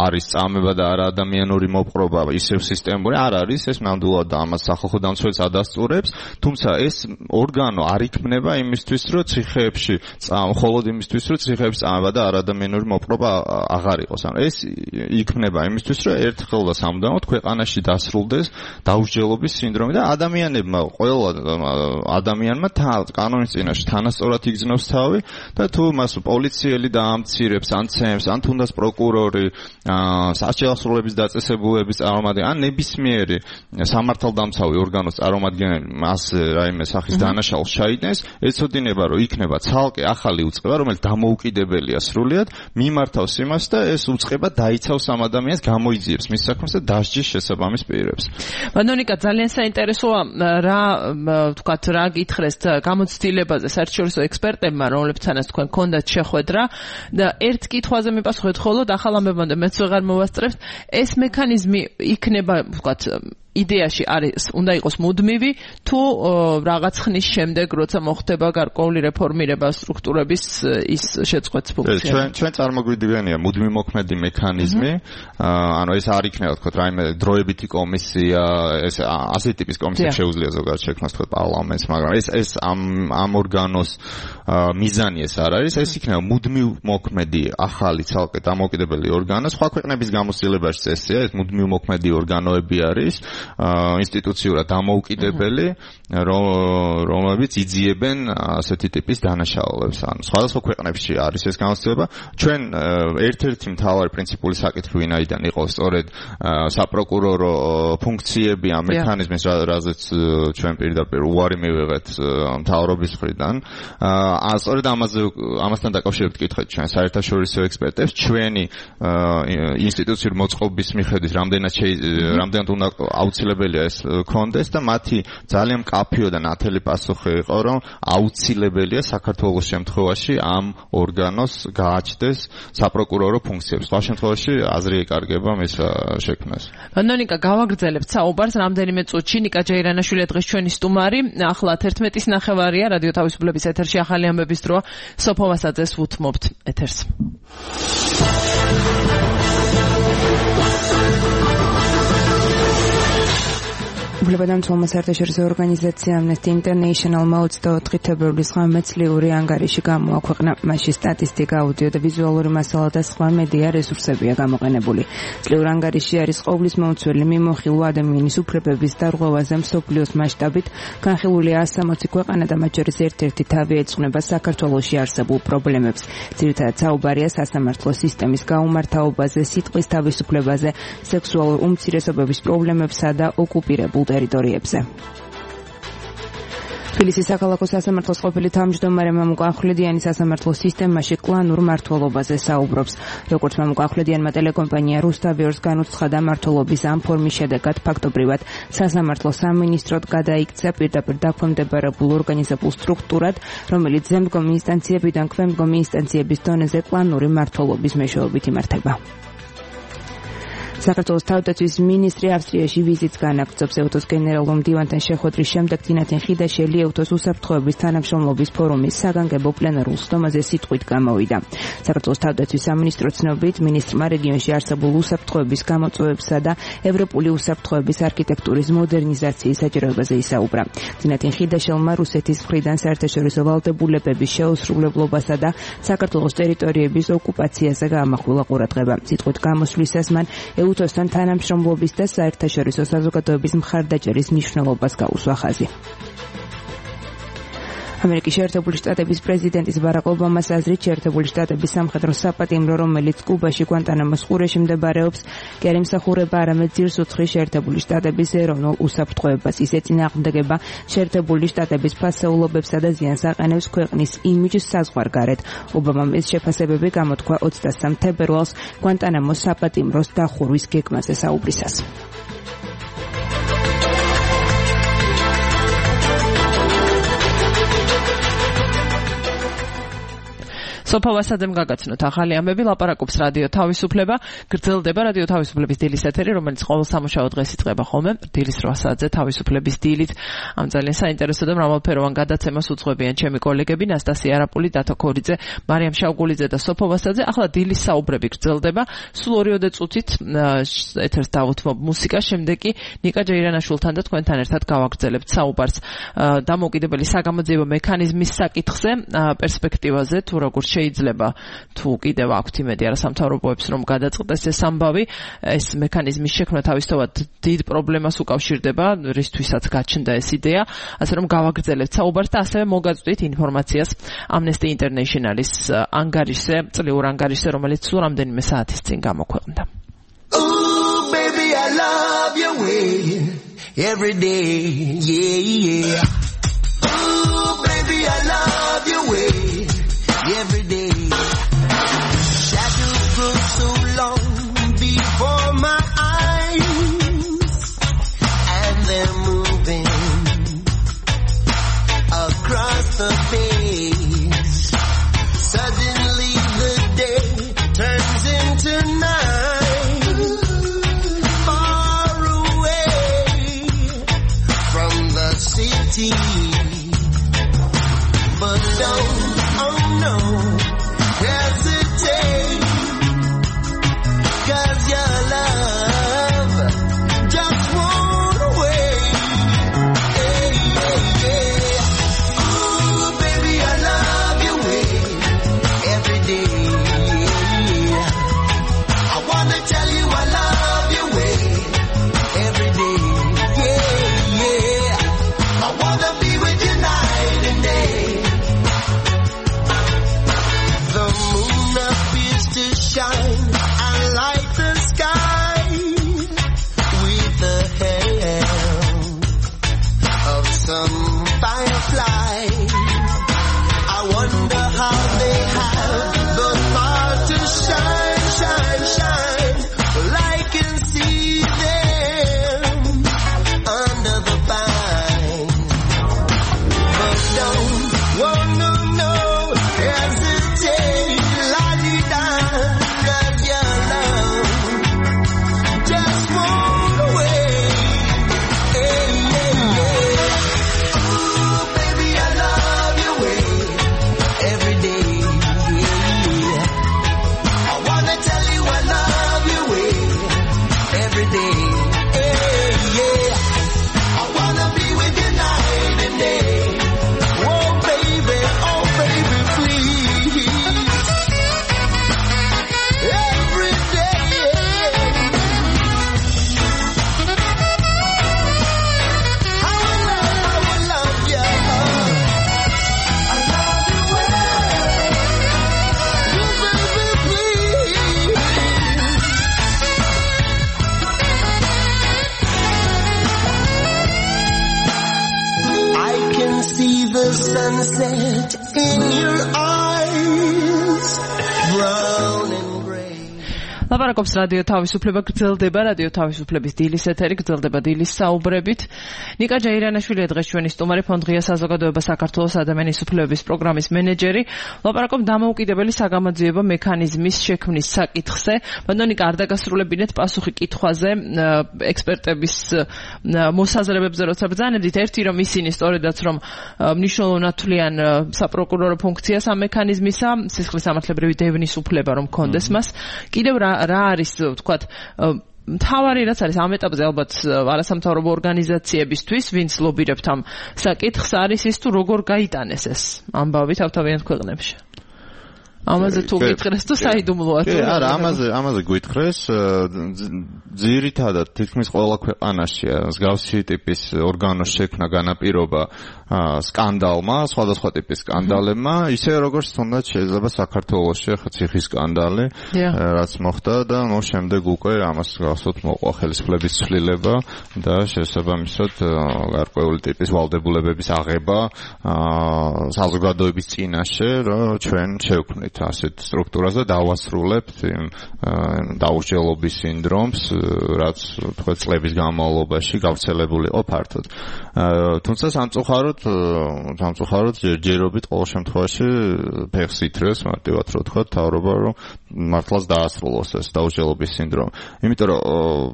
არის წამება და არა ადამიანური მოპყრობა ისევ სისტემური, არ არის, ეს ნამდვილად და ამას სახალხო დამცველს ადასტურებს, თუმცა ეს ორგანო არ იქმნება იმისთვის, რომ ციხეებში მხოლოდ იმისთვის, რომ ციხეებში წამება და არადამიანური მოპყრობა აღარ იყოს. ანუ ეს იქმნება იმისთვის, რომ ერთხელ და სამუდამოდ ქვეყანაში დასრულდეს დაუჯელობის სინდრომი და ადამიანებმა ყველა ადამიანმა კანონის წინაშე თანასწორად იგრძნობს თავი და თუ მას პოლიციელი დაამცირებს ან ცემს ან თუნდაც პროკურორი სასჯელსროლების დაწესებულების წარმომადგენელი ან ნებისმიერი სამართალდამცავი ორგანოს წარმომადგენელი მას რაიმე სახის დანაშაულს ჩაიდნეს ეცოდინება რომ იქნება ცალკე ახალი უწყება რომელიც დამოუკიდებელია სრულიად მიმართავს იმას და ეს უწყება დაიცავს ამ ადამიანს გამოიძიებს მის საქმეს და დასჯის შესაბამის პირებს. ბანონიკა ძალიან საინტერესოა რა ვთქვათ რა გითხრეს გამოცდილებაზე საერთაშორისო ექსპერტებმა რომლებთანაც თქვენ გქონდათ შეხვედრა და ერთ კითხვაზე მიპასუხეთ ხოლოდ ახალ ამბებამდე მეც ვეღარ მოვასწრებთ ეს მექანიზმი იქნება ვთქვათ იდეაში არის უნდა იყოს მუდმივი თუ რაღაც ხნის შემდეგ როცა მოხდება გარკვეული რეფორმირება სტრუქტურების ის შეწყვეტს ფუნქცია. ჩვენ წარმოგვიდგენია მუდმივი მოქმედი მექანიზმი, ანუ ეს არ იქნება თქო რაიმე დროებითი კომისია, ეს ასეთი ტიპის კომისია შეუძლია ზოგადად შექმნას თქო პარლამენტს, მაგრამ ეს ამ ორგანოს მიზანი ეს არ არის, ეს იქნება მუდმივი მოქმედი ახალი ცალკე დამოუკიდებელი ორგანო, სხვა ქვეყნების გამოცდილებაში წესია, ეს მუდმივი მოქმედი ორგანოები არის. ინსტიტუციურად დამოუკიდებელი, რომლებიც იძიებენ ასეთი ტიპის დანაშაულებს. ანუ სხვადასხვა ქვეყნებში არის ეს განსხვავება. ჩვენ ერთ-ერთი მთავარი პრინციპული საკითხი ვინაიდან იყო სწორედ საპროკურორო ფუნქციები ამ მექანიზმის, რაზეც ჩვენ პირდაპირ უარი მივიღეთ მთავრობის მხრიდან. სწორედ ამასთან დაკავშირებით კითხეთ ჩვენ საერთაშორისო ექსპერტებს, ჩვენი ინსტიტუციური მოწყობის მიხედვით რამდენად უნდა აუცილებელია ეს კონდეს და მათი ძალიან მკაფიო და ნათელი პასუხი იყო, რომ აუცილებელია საქართველოს შემთხვევაში ამ ორგანოს გააჩნდეს საპროკურორო ფუნქციებს. სხვა შემთხვევაში აზრი ეკარგება მის შექმნას. ნონიკა, გავაგრძელებთ საუბარს რამდენიმე წუთში. ნიკა ჯეირანაშვილი დღეს ჩვენი სტუმარი. ახლა 11:09 რადიო თავისუფლების ეთერში ახალი ამბების დროა. სოფო ვასაძეს უთმობთ ეთერს. უფლებადამცველმა საერთაშორისო ორგანიზაცია Amnesty International 24 თებერვლის ღამე წლიური ანგარიში გამოაქვეყნა. მასში სტატისტიკა, აუდიო და ვიზუალური მასალა და სხვა მედია რესურსებია გამოყენებული. წლიურ ანგარიში არის ყოვლის მომცველი მიმოხილვა ადამიანის უფლებების დარღვევაზე მსოფლიოს მასშტაბით. განხილულია 160 ქვეყანა და მათ შორის ერთ-ერთი თავი ეძღვნება საქართველოში არსებულ პრობლემებს. ძირითადად საუბარია სასამართლო სისტემის გაუმართავობაზე, სიტყვის თავისუფლებაზე, სექსუალურ უმცირესობების პრობლემებსა და ოკუპირებულ ტერიტორიებზე. თბილისის საქალაქო სასამართლოს ყოფილი თავმჯდომარე მამუკა ახვლედიანი სასამართლო სისტემაში კლანურ მმართველობაზე საუბრობს. როგორც მამუკა ახვლედიანმა ტელეკომპანია რუსთავიორს განუცხადა, მმართველობის ამ ფორმის შედეგად ფაქტობრივად სასამართლო სამინისტროდ გადაიქცა პირდაპირ დაქვემდებარებულ ორგანიზებულ სტრუქტურად, რომელიც ზემდგომი ინსტანციებიდან ქვემდგომი ინსტანციების დონეზე კლანური მმართველობის მეშვეობით იმართება. საქართველოს თავდაცვის მინისტრი ავსტრიაში ვიზიტს განაგრძობს. ეუთოს გენერალურ მდივანთან შეხვედრის შემდეგ თინათინ ხიდაშელი ეუთოს უსაფრთხოების თანამშრომლობის ფორუმის საგანგებო პლენარულ სხდომაზე სიტყვით გამოვიდა. საქართველოს თავდაცვის სამინისტროს ცნობით, მინისტრმა რეგიონში არსებულ უსაფრთხოების გამოწვევებსა და ევროპული უსაფრთხოების არქიტექტურის მოდერნიზაციის საჭიროებაზე ისაუბრა. თინათინ ხიდაშელმა რუსეთის მხრიდან საერთაშორისო ვალდებულებების შეუსრულებლობასა და საქართველოს ტერიტორიების ოკუპაციაზე გაამახვილა ყურადღება. სიტყვით გამოსვლისას მან ეუთოსთან თანამშრომლობის და საერთაშორისო საზოგადოების მხარდაჭერის მნიშვნელობას გაუსვა ხაზი. ამერიკის შეერთებული შტატების პრეზიდენტის ბარაკ ობამას აზრით, შეერთებული შტატების სამხედრო საპატიმრო, რომელიც კუბაში გვანტანამოს ყურეში მდებარეობს, კი არ ემსახურება არამედ ძირს უძღვის შეერთებული შტატების ეროვნულ უსაფრთხოებას. ის ეწინააღმდეგება შეერთებული შტატების ფასეულობებსა და ზიანს აყენებს ქვეყნის იმიჯს საზღვარგარეთ. ობამამ ეს შეფასებები გამოთქვა 23 თებერვალს გვანტანამოს საპატიმროს დახურვის გეგმაზე საუბრისას. სოფო ვასაძემ გაგაცნოთ ახალი ამბები, ლაპარაკობს რადიო თავისუფლება, გრძელდება რადიო თავისუფლების დილის ეთერი, რომელიც ყოველ სამუშაო დღეს იწყება ხოლმე დილის 8-ზე თავისუფლების დილით. ამ ძალიან საინტერესო და მრავალფეროვან გადაცემას უძღვებიან ჩემი კოლეგები ნასტასია არაპული, დათო ქორიძე, მარიამ შავგულიძე და სოფო ვასაძე. ახლა დილის საუბრები გრძელდება. სულ 2 წუთით ეთერს დავუთმობ მუსიკას, შემდეგ კი ნიკა ჯეირანაშვილთან და თქვენთან ერთად გავაგრძელებთ საუბარს დამოუკიდებელი საგამოძიებო მექანიზმის საკითხზე, პერსპექტივაზე, თუ როგორ შეიძლება თუ კიდევ აქვთ იმედი არასამთავრობოებს რომ გადაწყდეს ეს ამბავი, ეს მექანიზმის შექმნა თავისთავად დიდ პრობლემას უკავშირდება, რისთვისაც გაჩნდა ეს იდეა, ასე რომ გავაგრძელებთ საუბარს და ასევე მოგაწვდით ინფორმაციას Amnesty International-ის ანგარიშზე, წლიურ ანგარიშზე, რომელიც სულ რამდენიმე საათის წინ გამოქვეყნდა. Ooh, baby, I love your way every day, yeah, yeah. Ooh, baby, I love your way every day. Shadows grow so long before my eyes, and they're moving across the face. Suddenly the day turns into night, far away from the city. But don't Wonder how they have the heart to shine, shine, shine. Well, I can see them under the pine. But don't, no, hesitate, la-di-da, got your love. Just walk away. Hey, yeah, yeah. Ooh, baby, I love your way every day. Yeah. I wanna tell you I love your way every day. Hey, yeah. I wanna be with you night and day. Oh, baby, please. Every day. I will love you. I love you well. Oh, baby, please. I can see the sunset in your eyes, brown and gray. ლაპარაკობს რადიო თავისუფლება, გრძელდება რადიო თავისუფლების დილის ეთერი, გრძელდება დილის საუბრებით. ნიკა ჯაირანაშვილი დღეს ჩვენი სტუმარი, ფონდ ღია საზოგადოება საქართველოს ადამიანის უფლებების პროგრამის მენეჯერი. ლაპარაკობ დამოუკიდებელი საგამოძიებო მექანიზმის შექმნის საკითხზე. ბატონო ნიკა, არ დაგასრულებინეთ პასუხი კითხვაზე ექსპერტების მოსაზრებებზე, როცა ბრძანებდით, ერთი რომ ისინი სწორედაც რომ მნიშვნელოვნად თვლიან საპროკურორო ფუნქციას ამ მექანიზმისა, სისხლის სამართლებრივი დევნის უფლება რომ კონდეს მას. კიდევ რა არის ვთქვათ მთავარი რაც არის ამ ეტაპზე ალბათ არასამთავრობო ორგანიზაციებისთვის, ვინც ლობირებთ ამ საკითხს, არის ის თუ როგორ გაიტანეს ეს ამბავი თავთავიანთ ქვეყნებში. ამაზე თუ გითხრეს თუ საიდუმლოა თუ არა, ამაზე გითხრეს ძირითადად თითქმის ყველა ქვეყანაში მსგავსი ტიპის ორგანოს შექმნა განაპირობა სკანდალმა, სხვადასხვა ტიპის სკანდალებმა, ისე როგორც თუნდაც შეიძლება საქართველოში ხა ციხის სკანდალი, რაც მოხდა და შემდეგ უკვე ამას გახსოვთ მოყვა ხელისუფლების ცვლილება და შესაბამისად გარკვეული ტიპის ვალდებულებების აღება საზოგადოების წინაშე, რომ ჩვენ შევქმნით ასეთ სტრუქტურას და დავასრულებთ იმ დაუსჯელობის სინდრომს, რაც თქვა წლების განმავლობაში გავრცელებული იყო ფართოდ. თუმცა სამწუხაროდ ჯერჯერობით ყოველ შემთხვევაში ფეხს ითრევს მარტივად რო თქვა თავრობა, რომ მართლაც დაასრულოს ეს დაუსჯელობის სინდრომი. იმიტომ რომ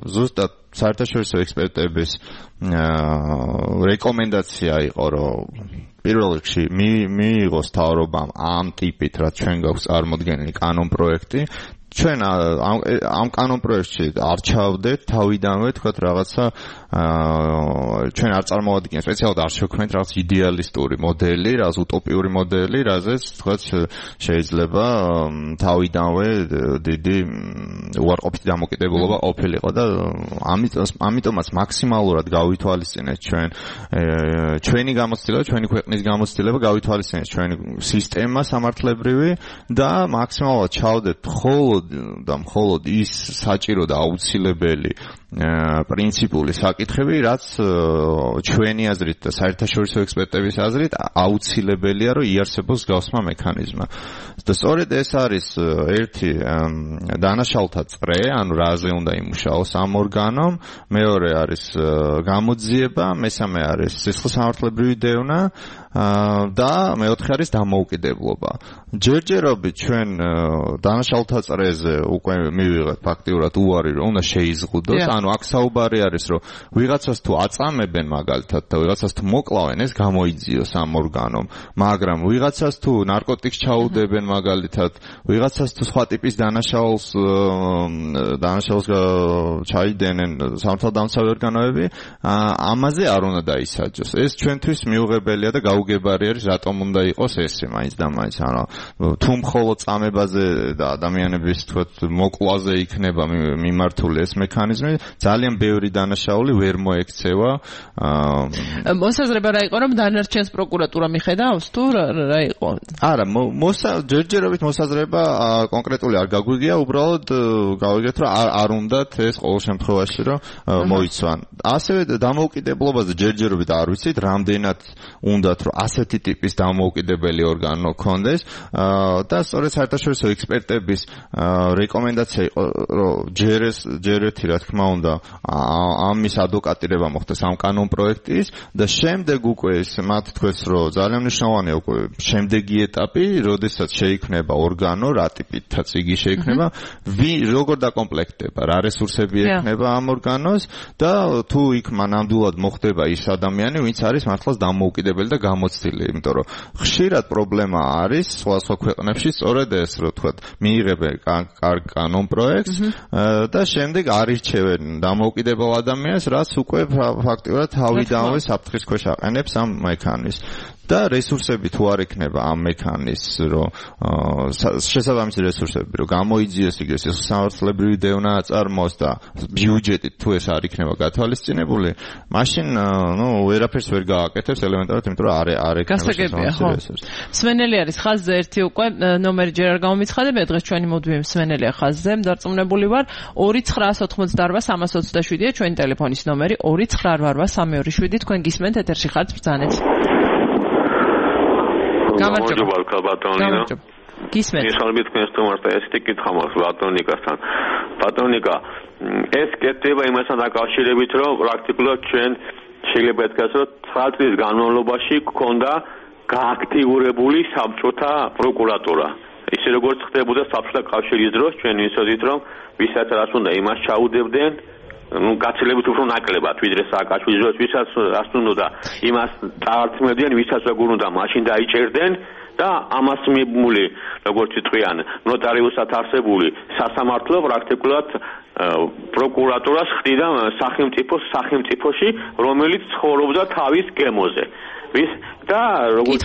ზუსტად საერთაშორისო ექსპერტების რეკომენდაცია იყო, რომ პირველ რიგში მიიღოს თავრობამ ამ ტიპით, რაც ჩვენ გვაქვს წარმოდგენილი კანონპროექტი, ჩვენ ამ კანონპროექტში არ ჩავდეთ თავიდანვე, თქვათ რაღაცა ჩვენ არ წარმოვადგინეთ, სპეციალურად არ შევქმნით რაღაც იდეალისტური მოდელი, რაღაც უტოპიური მოდელი, რაზეც თქვათ შეიძლება თავიდანვე დიდი უარყოფითი დამოკიდებულება ყოფილიყო და ამიტომაც მაქსიმალურად გავითვალისწინეთ ჩვენი გამოცდილება, ჩვენი ქვეყნის გამოცდილება, გავითვალისწინეთ ჩვენი სისტემა სამართლებრივი და მაქსიმალურად ჩავდეთ მხოლოდ ის საჭირო და აუცილებელი პრინციპული საკითხები, რაც ჩვენი აზრით და საერთაშორისო ექსპერტების აზრით აუცილებელია, რომ იარსებოს გავსმა მექანიზმა. და სწორედ ეს არის ერთი დანაშაულთა წრე, ანუ რაზე უნდა იმუშაოს ამ ორგანომ, მეორე არის გამოძიება, მესამე არის სისხლის სამართლებრივი დევნა და მეოთხე არის დამოუკიდებლობა. ჯერჯერობით ჩვენ დანაშაულთა წრეზე უკვე მივიღეთ ფაქტიურად უარი, რომ უნდა შეიზღუდოს, ანუ აქ საუბარი არის, რომ ვიღაცას თუ აწამებენ მაგალითად და ვიღაცას თუ მოკლავენ, ეს გამოიძიოს ამ ორგანომ, მაგრამ ვიღაცას თუ ნარკოტიკს ჩაუდებენ მაგალითად, ვიღაცას თუ სხვა ტიპის დანაშაულს ჩაიდენენ სამართალდამცავი ორგანოები, ამაზე არ უნდა დაისაჯოს. ეს ჩვენთვის მიუღებელია და გაუგებარი არის, რატომ უნდა იყოს ესე მაინც და მაინც, ანუ თუ მხოლოდ წამებაზე და ადამიანების თქვათ მოკლაზე იქნება მიმართული ეს მექანიზმი, ძალიან ბევრი დანაშაული ვერ მოექცევა. მოსაზრება რა იყო, რომ დანარჩენს პროკურატურა მიხედავს თუ რა იყო? არა, ჯერჯერობით მოსაზრება კონკრეტული არ გაგვიგია, უბრალოდ გავიგეთ, რომ არ უნდათ ეს ყოველ შემთხვევაში რომ მოიცვან. ასევე დამოუკიდებლობაზე ჯერჯერობით არ ვიცით, რამდენად უნდათ რომ ასეთი ტიპის დამოუკიდებელი ორგანო ქონდეს და სწორედ საერთაშორისო ექსპერტების რეკომენდაცია იყო, რომ ჯერ ერთი რა თქმა უნდა ამის ადვოკატირება მოხდეს ამ კანონპროექტის და შემდეგ უკვე ეს მათ თქვეს, რომ ძალიან მნიშვნელოვანია უკვე შემდეგი ეტაპი, როდესაც შეიქმნება ორგანო, რა ტიპითაც იგი შეიქმნება, როგორ დაკომპლექტდება, რა რესურსები ექნება ამ ორგანოს და თუ იქ ნამდვილად მოხდება ის ადამიანი, ვინც არის მართლაც დამოუკიდებელი და გამოცდილი, იმიტომ რომ ხშირად პრობლემა არის სხვა ქვეყნებში სწორედ ეს, რომ თქვათ, მიიღებენ კარგ კანონპროექტს და შემდეგ არირჩევენ დამოუკიდებელ ადამიანს, რაც უკვე ფაქტიურად თავიდანვე საფრთხის ქვეშ აყენებს ამ მექანიზმს. და რესურსები თუ არ ექნება ამ მექანიზმს, რომ შესაბამისი რესურსები, რომ გამოიძიეს იგეს სამართლებრივი დევნა აწარმოოს და ბიუჯეტით თუ ეს არ იქნება გათვალისწინებული, მაშინ ვერაფერს ვერ გააკეთებს ელემენტარად, იმიტომ რომ არ ექნება რესურსი. მსმენელი არის ხაზზე ერთი უკვე ნომერი ჯერ არ გამომიცხადებია, დღეს ჩვენი მოდვიე მსმენელია ხაზზე, დარწმუნებული ვარ 2988327-ია ჩვენი ტელეფონის ნომერი 2988327, თქვენ გისმენთ ეთერში ხართ, ბრძანეთ. გამარჯობა ბატონიკა. გისმენთ. მიხალბი თქვენს თომართა ესეთი კითხვა მაქვს ბატონიკასთან. ბატონიკა, ეს კეთდება იმასთან დაკავშირებით, რომ პრაქტიკულად ჩვენ შეიძლება ითქვას, რომ 9 წლის განმავლობაში გქონდა გააქტიურებული საბჭოთა პროკურატურა. ისე როგორც ხდებოდა საბჭოთა კავშირის დროს, ჩვენ ვიცოდით, რომ ვისაც რას უნდა იმას ჩაუდებდნენ, გაცილებით უფრო ნაკლებად, ვიდრე სააკაშვილის დროს, ვისაც რას უნდა იმას წაართმევდნენ, ვისაც როგორ უნდა მაშინ დაიჭერდნენ და ამას მიბმული, როგორც იტყვიან, ნოტარიუსად არსებული სასამართლო პრაქტიკულად პროკურატურას ხდიდა სახელმწიფოში, რომელიც ცხოვრობდა თავის გემოზე. და როგორც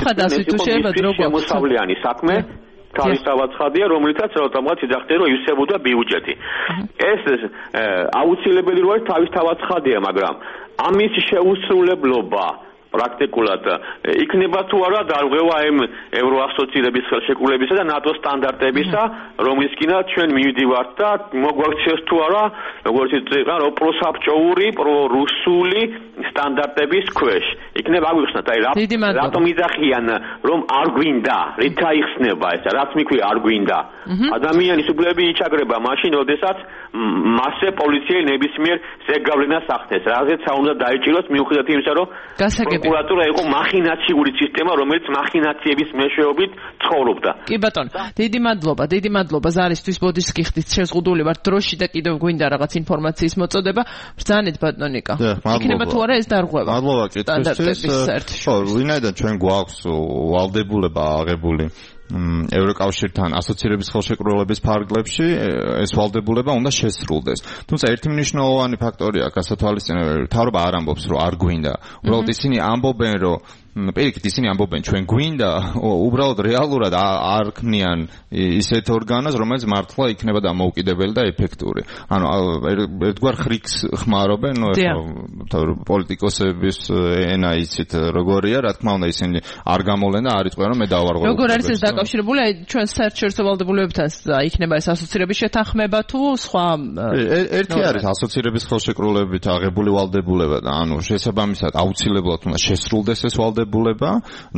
შემოსავლიანი საქმე თავისთავად ხადია, რომლითაც ავტომატურად იძახდა, რომ ივსებოდა ბიუჯეტი. ეს აუცილებელი როა თავისთავად ხადია, მაგრამ ამის შეუსრულებლობა პრაქტიკულად იქნება თუ არა დარღვევა ევროასოციირების ხელშეკრულებისა და ნატოს სტანდარტებისა, რომლისკენაც ჩვენ მივდივართ და მოგვაქციეს თუ არა, როგორც იტყვიან, რომ პროსაბჭოური, პრორუსული სტანდარტების ქვეშ. იქნება აგვიხსნათ, აი რატომ იძახიან, რომ არ გვინდა, რით აიხსნება ეს, რაც მიქვია არ გვინდა. ადამიანის უფლებები იჩაგრება მაშინ, როდესაც მასზე პოლიცია ნებისმიერ ზეგავლენას ახდენს. რაზეც უნდა დაიჭიროს მიუხედავად იმისა, რომ პროკურატურა იყო მახინაციური სისტემა, რომელიც მახინაციების მეშვეობით ცხოვრობდა. კი ბატონო, დიდი მადლობა ზარისთვის ბოდიშს გიხდით, შეზღუდული ვართ დროში და კიდევ გვინდა რაღაც ინფორმაციის მოწოდება. ბრძანეთ ბატონიკა. იქნება თუ არა ეს დარღვევა. მადლობა კითხვისთვის. ვინაიდან ჩვენ გვაქვს ვალდებულება აღებული ევროკავშირთან ასოცირების ხელშეკრულების ფარგლებში, ეს ვალდებულება უნდა შესრულდეს. თუმცა ერთი მნიშვნელოვანი ფაქტორია გასათვალისწინებელი, მთავრობა არ ამბობს, რომ არ გვინდა. უბრალოდ ისინი ამბობენ, რომ პირიქით ისინი ამბობენ, ჩვენ გვინდა, უბრალოდ რეალურად არ ქმნიან ისეთ ორგანოს, რომელიც მართლა იქნება დამოუკიდებელი და ეფექტური. ანუ ერთგვარ ხრიქს ხმარობენ, პოლიტიკოსების ენა იცით როგორია, რა თქმა უნდა ისინი არ გამოვლენ და არ იტყვიან, რომ მე დავარღვევ. როგორ არის ეს დაკავშირებული ჩვენ საერთაშორისო ვალდებულებებთან იქნება ეს ასოცირების შეთანხმება თუ სხვა? ერთი არის ასოცირების ხელშეკრულებით აღებული ვალდებულება და ანუ შესაბამისად აუცილებლად უნდა შესრულდეს ეს ვალდებულება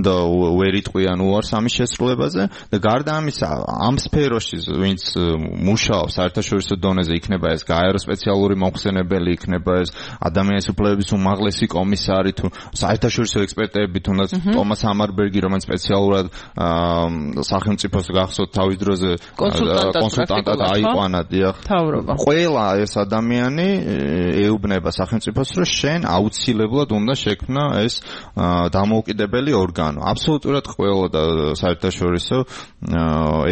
და ვერ იტყვიან უარს ამის შესრულებაზე და გარდა ამისა ამ სფეროში ვინც მუშაობს საერთაშორისო დონეზე იქნება ეს გაერო სპეციალური მომხსენებელი, იქნება ეს ადამიანის უფლებების უმაღლესი კომისარი თუ საერთაშორისო ექსპერტები, თუნდაც ტომას ამარბერგი, რომელიც სპეციალურად სახელმწიფოს გახსოვთ თავის დროზე კონსულტანტად აიყვანა, დიახ. ყველა ეს ადამიანი ეუბნება სახელმწიფოს, რომ შენ აუცილებლად უნდა შექმნა ეს დამოუკიდებელი ორგანო. აბსოლუტურად ყველა და საერთაშორისო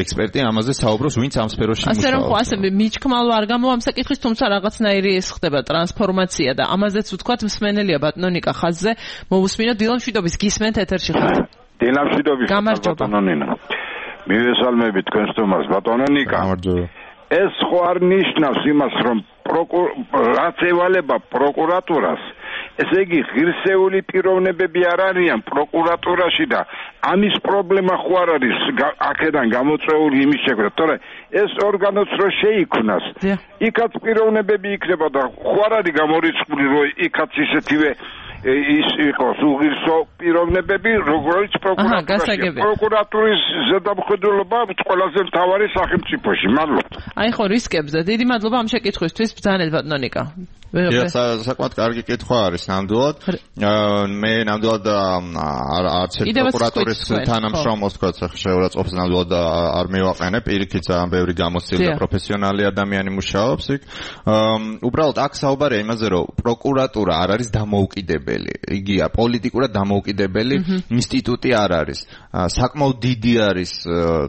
ექსპერტი ამაზე საუბრობს, ვინც ამ სფეროში მუშაობს. ასე რომ ასე მიჩქმალო არ გამოვა ამ საკითხის, თუმცა რაღაცნაირი ეს ხდება ტრანსფორმაცია და ამაზეც ვთქვათ მსმენელია ბატონიკა ხაზზე. მოვუსმინოთ დილამშვიდობის, გისმენთ ეთერში ხართ. დილამშვიდობის ბატონონინა. მივესალმებით თქვენს თომას ბატონონიკა. გამარჯობა. ეს ხო არ ნიშნავს იმას, რომ რაც ევალება პროკურატურას, ესე იგი ღირსეული პიროვნებები არ არიან პროკურატურაში და ამის პრობლემა ხო არ არის აქედან გამოწვეული იმის შექმნა, თორე ეს ორგანოც რო შეიქმნას, იქაც პიროვნებები იქნება და ხო არ არის გამორიცხული რომ იქაც ისეთივე ის იყოს უღირსო პიროვნებები, როგორც პროკურატურის ზედამხედველობა ყველაზე მთავარი სახელმწიფოში. მადლობა. აი ხო რისკებს და დიდი მადლობა ამ შეკითხვისთვის ბრძანეთ ბატონო ნიკა. საკმაოდ კარგი კითხვა არის ნამდვილად. მე ნამდვილად არც პროკურატურის თანამშრომლს თქვა შეურაცხყოფს ნამდვილად არ მივაყენებ. პირიქით ძალიან ბევრი გამოცდილი და პროფესიონალი ადამიანი მუშაობს იქ. უბრალოდ აქ საუბარია იმაზე, რომ პროკურატურა არ არის დამოუკიდებელი. იგია პოლიტიკურად დამოუკიდებელი ინსტიტუტი არ არის. საკმაოდ დიდი არის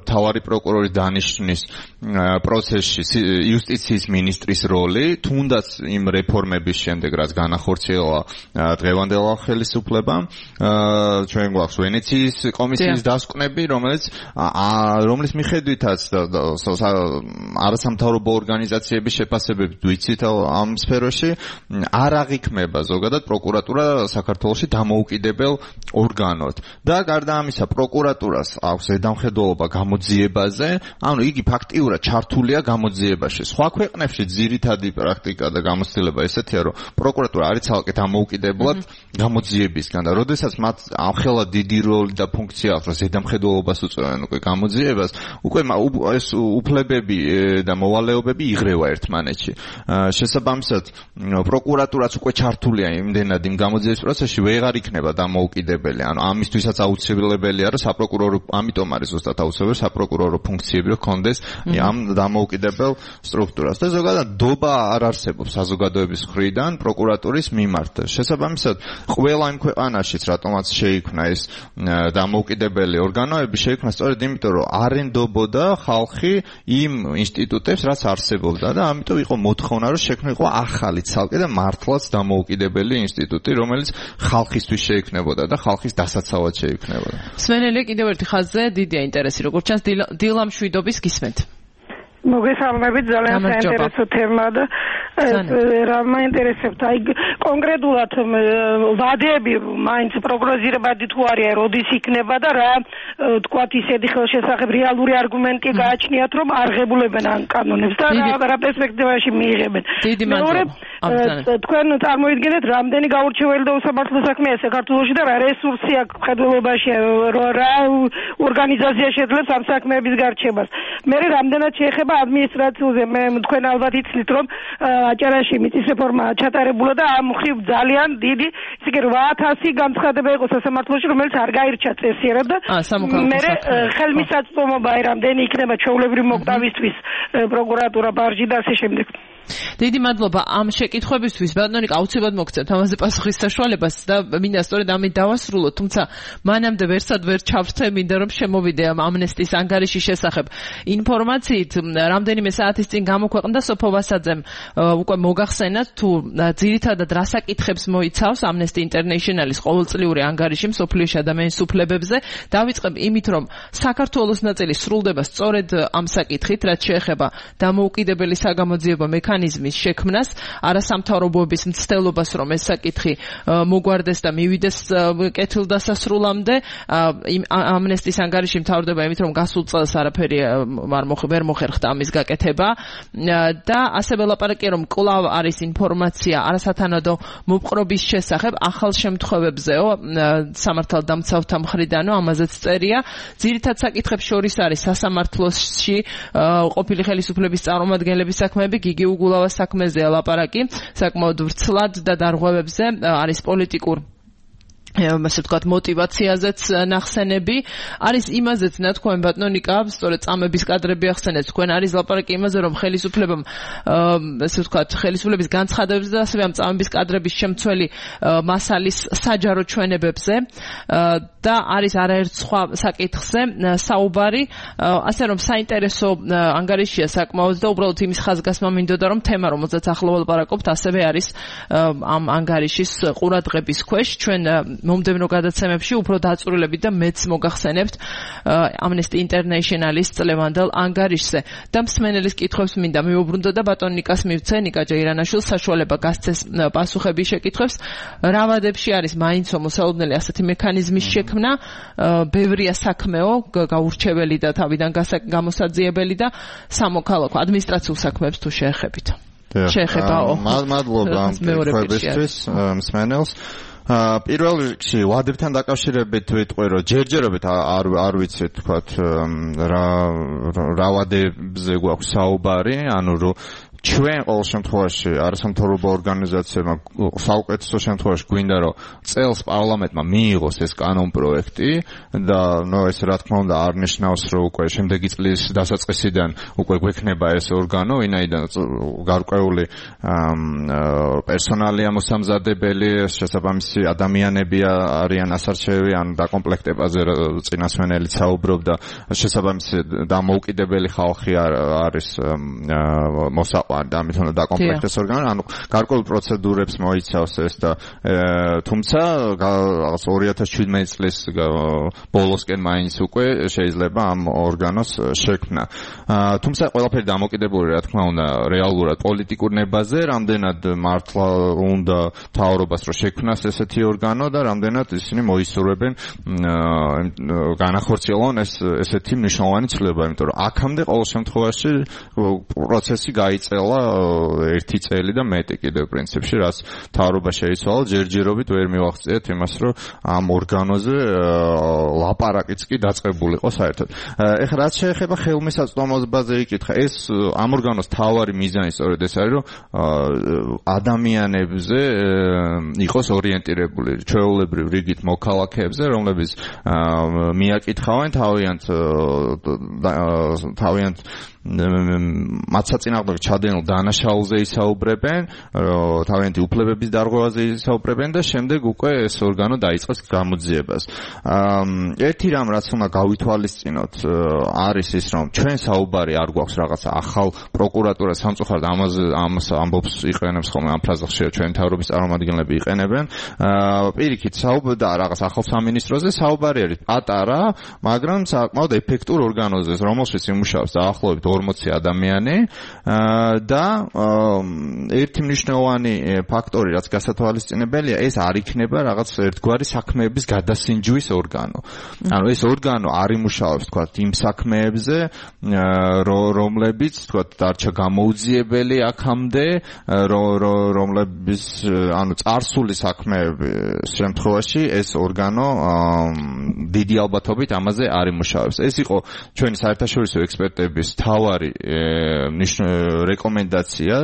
მთავარი პროკურორის დანიშვნის პროცესში იუსტიციის მინისტრის როლი, თუნდაც იმ რეფორმების შემდეგ, რაც განახორციელა დღევანდელ ხელისუფლებამ, ჩვენ გვაქვს ვენეციის კომისიის დასკვნები, რომლის მიხედვითაც არასამთავრობო ორგანიზაციების შეფასებებით ვიცით ამ სფეროში, არ აღიქმება ზოგადად პროკურატურა საქართველოში დამოუკიდებელ ორგანოდ. და გარდა ამისა, პროკურატურას აქვს ზედამხედველობა გამოძიებაზე, ანუ იგი ფაქტიურად ჩართულია გამოძიებაში. სხვა ქვეყნებში ძირითადი პრაქტიკა და გამოცდილება ესეთია, რომ პროკურატურა არის ცალკე დამოუკიდებლად გამოძიებისგან და როდესაც მათ ამხელა დიდი როლი და ფუნქცია აქვს, რომ ზედამხედველობას უწევენ უკვე გამოძიებას, უკვე ეს უფლებები და მოვალეობები იღრევა ერთმანეთში. შესაბამისად, პროკურატურაც უკვე ჩართულია იმდენად იმ გამოძიების პროცესში, ვეღარ იქნება დამოუკიდებელი. ანუ ამისთვისაც აუცილებელია, რომ საპროკურორო, ამიტომ არის ზუსტად აუცილებელი საპროკურორო ფუნქციები, რომ კონდეს ამ დამოუკიდებელ სტრუქტურას. და ზოგადად დობა არ არსებობს საზოგადოების მხრიდან პროკურატურის მიმართ. შესაბამისად, ყველა იმ ქვეყანაშიც, რატომაც შეიქმნა ეს დამოუკიდებელი ორგანოები, შეიქმნა სწორედ იმიტომ, რომ არ ენდობოდა ხალხი იმ ინსტიტუტებს, რაც არსებობდა და ამიტომ იყო მოთხოვნა, რომ შექმნილიყო ახალი ცალკე და მართლაც დამოუკიდებელი ინსტიტუტი, რომელიც ხალხისთვის შეიქმნებოდა და ხალხის დასაცავად შეიქმნებოდა. სვენელი კიდევ ერთი ხაზზე დიდია ინტერესი, როგორც ჩანს დილა მშვიდობის გისმენთ. მოგესალმებით, ძალიან საინტერესო თემა და რა მაინტერესებთ, აი კონკრეტულად ვადები მაინც პროგნოზირებადი თუ არიან, როდის იქნება და რა თქვათ ისეთი ხელშესახებ რეალური არგუმენტი გააჩნიათ, რომ არ ღებულებენ ამ კანონებს და რა პერსპექტივაში მიიღებენ. მეორე, თქვენ წარმოიდგინეთ, რამდენი გაურჩეველი და უსამართლო საქმეა საქართველოში და რა რესურსი აქვს მხედველობაში, რა ორგანიზაცია შეძლებს ამ საქმეების გარჩევას. მე რამდენად შეეხება ადმინისტრაციულზე, მე თქვენ ალბათ იცით, რომ აჭარაში მიწის რეფორმა ჩატარებულა და ამ მხრივ ძალიან დიდი, ისე კი 8000 განცხადება იყო სასამართლოში, რომელიც არ გაირჩა წესიერად და მე ხელმისაწვდომობა რამდენი იქნება ჩვეულებრივ მოკვდავისთვის პროკურატურა, ბარჟი და ასე შემდეგ. დიდი მადლობა ამ შეკითხვებისთვის. ბატონო ნიკა, აუცილებლად მოგცემთ ამაზე პასუხის საშუალებას და მინდა სწორედ ამით დავასრულოთ, თუმცა მანამდე ვერსად ვერ ჩავრთე, მინდა რომ შემოვიდე ამ ამნესტის ანგარიშის შესახებ ინფორმაციით. რამდენიმე საათის წინ გამოქვეყნდა სოფო ვასაძემ უკვე მოგახსენათ თუ ძირითადად რა საკითხებს მოიცავს Amnesty International-ის ყოველწლიური ანგარიში მსოფლიოში ადამიანის უფლებებზე. დავიწყებ იმით, რომ საქართველოს ნაწილი სრულდება სწორედ ამ საკითხით, რაც შეეხება დამოუკიდებელი საგამოძიებო მექანიზმის შექმნას, არასამთავრობოების მცდელობას, რომ ეს საკითხი მოგვარდეს და მივიდეს კეთილდასასრულამდე. Amnesty-ის ანგარიში მთავრდება იმით, რომ გასულ წელს არაფერი ვერ მოხერხდა ამის გაკეთება და ასევე ლაპარაკია, რომ კვლავ არის ინფორმაცია არასათანადო მოპყრობის შესახებ ახალ შემთხვევებზეო სამართალდამცავთა მხრიდანო, ამაზეც წერია. ძირითად საკითხებს შორის არის სასამართლოში ყოფილი ხელისუფლების წარმომადგენლების საქმეები, გიგი უგულავას საქმეზეა ლაპარაკი, საკმაოდ ვრცლად და დარღვევებზე არის პოლიტიკურ ასე ვთქვათ მოტივაციაზეც ნახსენები, არის იმაზეც ნათქვამი ბატონო ნიკა, სწორედ წამების კადრები ახსენეთ, თქვენ არის ლაპარაკი იმაზე, რომ ხელისუფლებამ ასე ვთქვათ ხელისუფლების განცხადებებზე და ასევე ამ წამების კადრების შემცველი მასალის საჯარო ჩვენებებზე და არის არაერთ სხვა საკითხზე საუბარი, ასე რომ საინტერესო ანგარიშია საკმაოდ და უბრალოდ იმის ხაზგასმა მინდოდა, რომ თემა, რომელზეც ახლა ვლაპარაკობთ, ასევე არის ამ ანგარიშის ყურადღების ქვეშ. ჩვენ მომდევნო გადაცემებში უფრო დაწვრილებით და მეც მოგახსენებთ Amnesty International-ის წლევანდელ ანგარიშზე. და მსმენელის კითხვებს მინდა მიუბრუნდო და ბატონ ნიკას მივცე, ნიკა ჯეირანაშვილს საშუალება გასცეს პასუხების შეკითხვებს. რა ვადებში არის მაინც მოსალოდნელი ასეთი მექანიზმის შექმნა, ბევრია საქმეო, გაურჩეველი და თავიდან გამოსაძიებელი და სამოქალაქო ადმინისტრაციულ საქმეებს თუ შეეხებით. შეეხებაო. მადლობა მეგობრებისთვის, მსმენელს. პირველ რიგში ვადებთან დაკავშირებით ვიტყვი, რომ ჯერჯერობით არ ვიცი თქვათ რა ვადებზე გვაქვს საუბარი, ანუ რომ ჩვენ ყოველ შემთხვევაში არასამთავრობო ორგანიზაციებმა საუკეთესო შემთხვევაში გვინდა რომ წელს პარლამენტმა მიიღოს ეს კანონპროექტი და ეს რა თქმა უნდა არ ნიშნავს რომ უკვე შემდეგი წლის დასაწყისიდან უკვე გვექნება ეს ორგანო, ვინაიდან გარკვეული პერსონალია მოსამზადებელი, შესაბამისი ადამიანები არიან ასარჩევი, ან დაკომპლექტებაზე წინასვენელი საუბრობდა, შესაბამისი დამოუკიდებელი ხალხი არის ამით უნდა დაკომპლექტდეს ორგანო, ანუ გარკვეულ პროცედურებს მოიცავს ეს და თუმცა რაღაც 2017 წლის ბოლოსკენ მაინც უკვე შეიძლება ამ ორგანოს შექმნა. თუმცა ყველაფერი დამოკიდებული რა თქმა უნდა რეალურად პოლიტიკურ ნებაზე, რამდენად მართლა უნდა მთავრობას რომ შექმნას ესეთი ორგანო და რამდენად ისინი მოისურვებენ განახორციელონ ესეთი მნიშვნელოვანი ცვლილება, იმიტომ რომ აქამდე ყოველ შემთხვევაში პროცესი გაიწერა 1 წელი და მეტი კიდევ პრინციპში, რაც მთავრობა შეიცვალა, ჯერჯერობით ვერ მივახციეთ იმას, რომ ამ ორგანოზე ლაპარაკიც კი დაწყებულიყო საერთოდ. ეხლა რაც შეეხება ხელმისაწვდომობაზე იკითხა, ეს ამ ორგანოს მთავარი მიზანი სწორედ ეს არის, რომ ადამიანებზე იყოს ორიენტირებული, ჩვეულებრივ რიგით მოქალაქეებზე, რომლებიც მიაკითხავენ თავიანთ მათსაწინააღმდეგო ჩადენილ დანაშაულზე ისაუბრებენ, თავიანთი უფლებების დარღვევაზე ისაუბრებენ და შემდეგ უკვე ეს ორგანო დაიწყოს გამოძიებას. ერთი რამ რაც უნდა გავითვალისწინოთ არის ის, რომ ჩვენ საუბარი არ გვაქვს რაღაცა ახალ პროკურატურა სამწუხაროდ ამას ამბობს იყენებს ხოლმე ამ ფრაზას ჩვენ თავრობის წარმომადგენლები იყენებენ. პირიქით საუბარია რაღაც ახალ სამინისტროზე, საუბარი არის პატარა, მაგრამ საკმაოდ ეფექტურ ორგანოზე, რომელშიც იმუშავებს დაახლოებით 40 ადამიანი და ერთი მნიშვნელოვანი ფაქტორი რაც გასათვალისწინებელია, ეს არ იქნება რაღაც ერთგვარი საქმეების გადასინჯვის ორგანო. ანუ ეს ორგანო არ იმუშავებს თქვათ იმ საქმეებზე, რომლებიც თქვათ დარჩა გამოუძიებელი აქამდე, რომლებიც ანუ წარსული საქმეების შემთხვევაში ეს ორგანო დიდი ალბათობით ამაზე არ იმუშავებს. ეს იყო ჩვენი საერთაშორისო ექსპერტების თავარი რეკომენდაცია